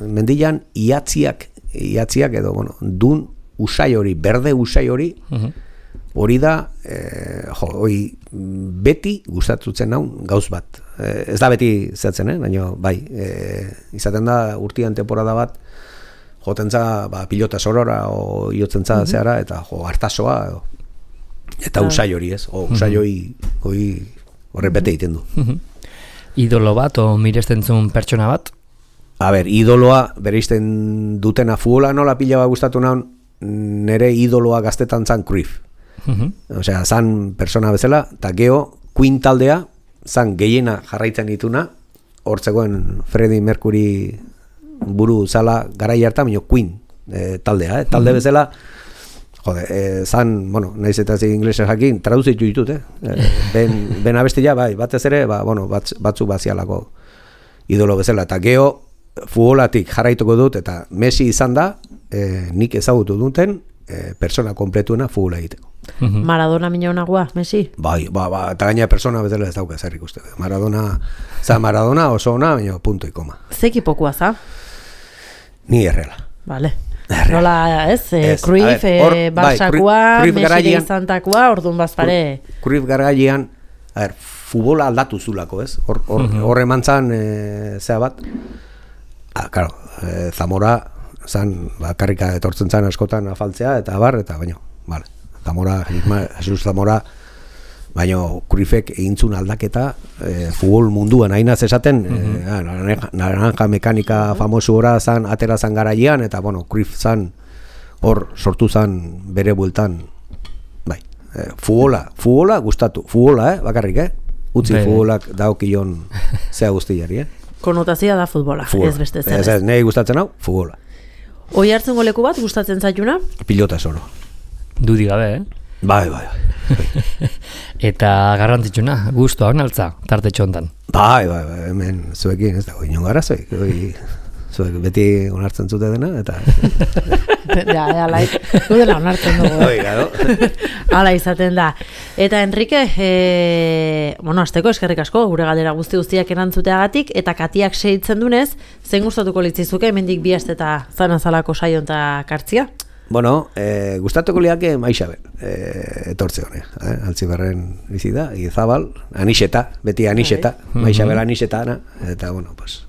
mendilan iatziak edo, dun usai hori, berde usai hori, hori da, beti gustatzen naun gauz bat. Ez da beti zetzen, baina bai, izaten da urtian temporada bat, jotentza pilota sorora, o iotzentza zehara, eta hartasoa, eta usai hori ez, usai hori horre bete egiten du. Idolo bat, o miresten zuen pertsona bat? Idoloa, bereizten dutena futbola nola pila bat gustatu naun, nere idoloa gaztetan zan Cruyff. Zan persona bezala, eta geho, Queen taldea, zan gehiena jarraitzen dituna, hortzegoen Freddie Mercury buru zala garai hartan, baina Queen taldea, talde bezala, zan, nahiz eta zi inglesez jakin, traduzitu ditut, ben abestia, batez ere, batzu bazialako idolo bezala, eta geho, futbolatik jarraituko dut, eta Messi izan da, nik ezagutu duten, persona kompletuena futbola egiteko. Maradona minonagua, Messi? Bai, eta gaina persona bezala ez dauka zerrik uste. Maradona oso ona, baina punto y koma. Zekipokoa za? Ni errela. Vale. Nola, Cruyff, Barsakoa, Messi izantakoa, orduan bazpare. Cruyff garailean, futbola aldatu zulako, ez? Hor emantzan, zea bat, Zamora zan, karrika etortzen zan askotan afaltzea, eta baina, Jesus Zamora, baina Cruyffek egintzun aldaketa, futbol munduan hainaz esaten, naranja mekanika famosu gora zan, atera zan garailean, eta Cruyff zan, hor sortu zan bere bueltan, futbola gustatu, bakarrik, utzi futbolak daokion zea guztiari, Konotazioa da futbola, ez beste zen. Ez, nahi gustatzen hau, futbola. Oi hartzen goleku bat, gustatzen zaituna? Pilota soro. Dudi gabe, Bai. Eta garrantzitsuna, gustoa onaltza, tarte txontan. Bai, hemen zuekin ez dago inon garazoik. zuek beti onartzen zute dena, eta... Ja, gudela onartzen dugu. Oiga, Hala izaten da. Eta Enrique, azteko eskerrik asko, gure galdera guztiak erantzuteagatik, eta Katiak segitzen dunez, zein gustatuko litzizuke, hemendik bi aste eta zanazalako saion eta kartzia? Bueno, gustatuko liake Maixabel, etortze hone, Altziberren bizi da, Izabal, Anixeta, beti Anixeta, Maixabel Anixeta, eta bueno, pues,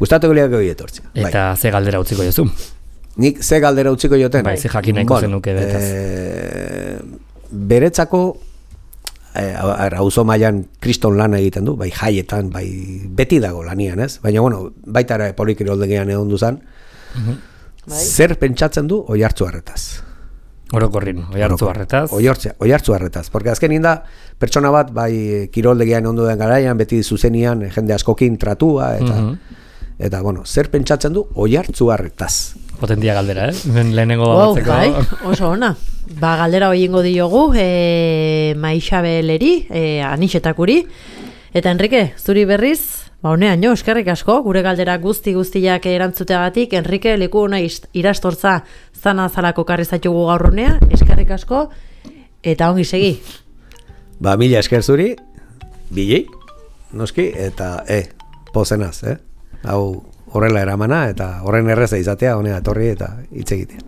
gustatuko liake hori etortze. Eta ze galdera utziko jozu? Nik ze galdera utziko joten? Bai, ze jakin nahiko zenuke betaz. Beretzako, auzo mailan kriston lan egiten du, bai jaietan, bai beti dago lanian, ez? Baina, bueno, baita ere polikiroldegian egon duzan, zer pentsatzen du Oiartzuarretaz? Orokorrin, Oiartzuarretaz. Oiartzuarretaz, porque azkenin da pertsona bat bai kiroldegian ondo den garaian, beti zuzenian jende askokin tratua eta bueno, zer pentsatzen du Oiartzuarretaz? Potentia galdera, lehenengo batzeko. Bai, oso ona. Galdera hoiengo diogu Maixabeleri, Anixetakuri. Eta Enrique, zuri berriz, honean jo, eskerrik asko, gure galdera guztiak erantzuteagatik, Enrique, leku hona irastortza zalako karrizatugu gaur honea, eskerrik asko, eta ongi segi. Mila esker zuri, bilei, noski, eta pozenaz, hau horrela eramana, eta horren erreza izatea, honea etorri eta hitz egitea.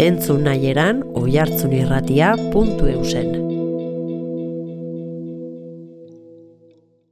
Entzun nahieran oihartzunirratia.eusen.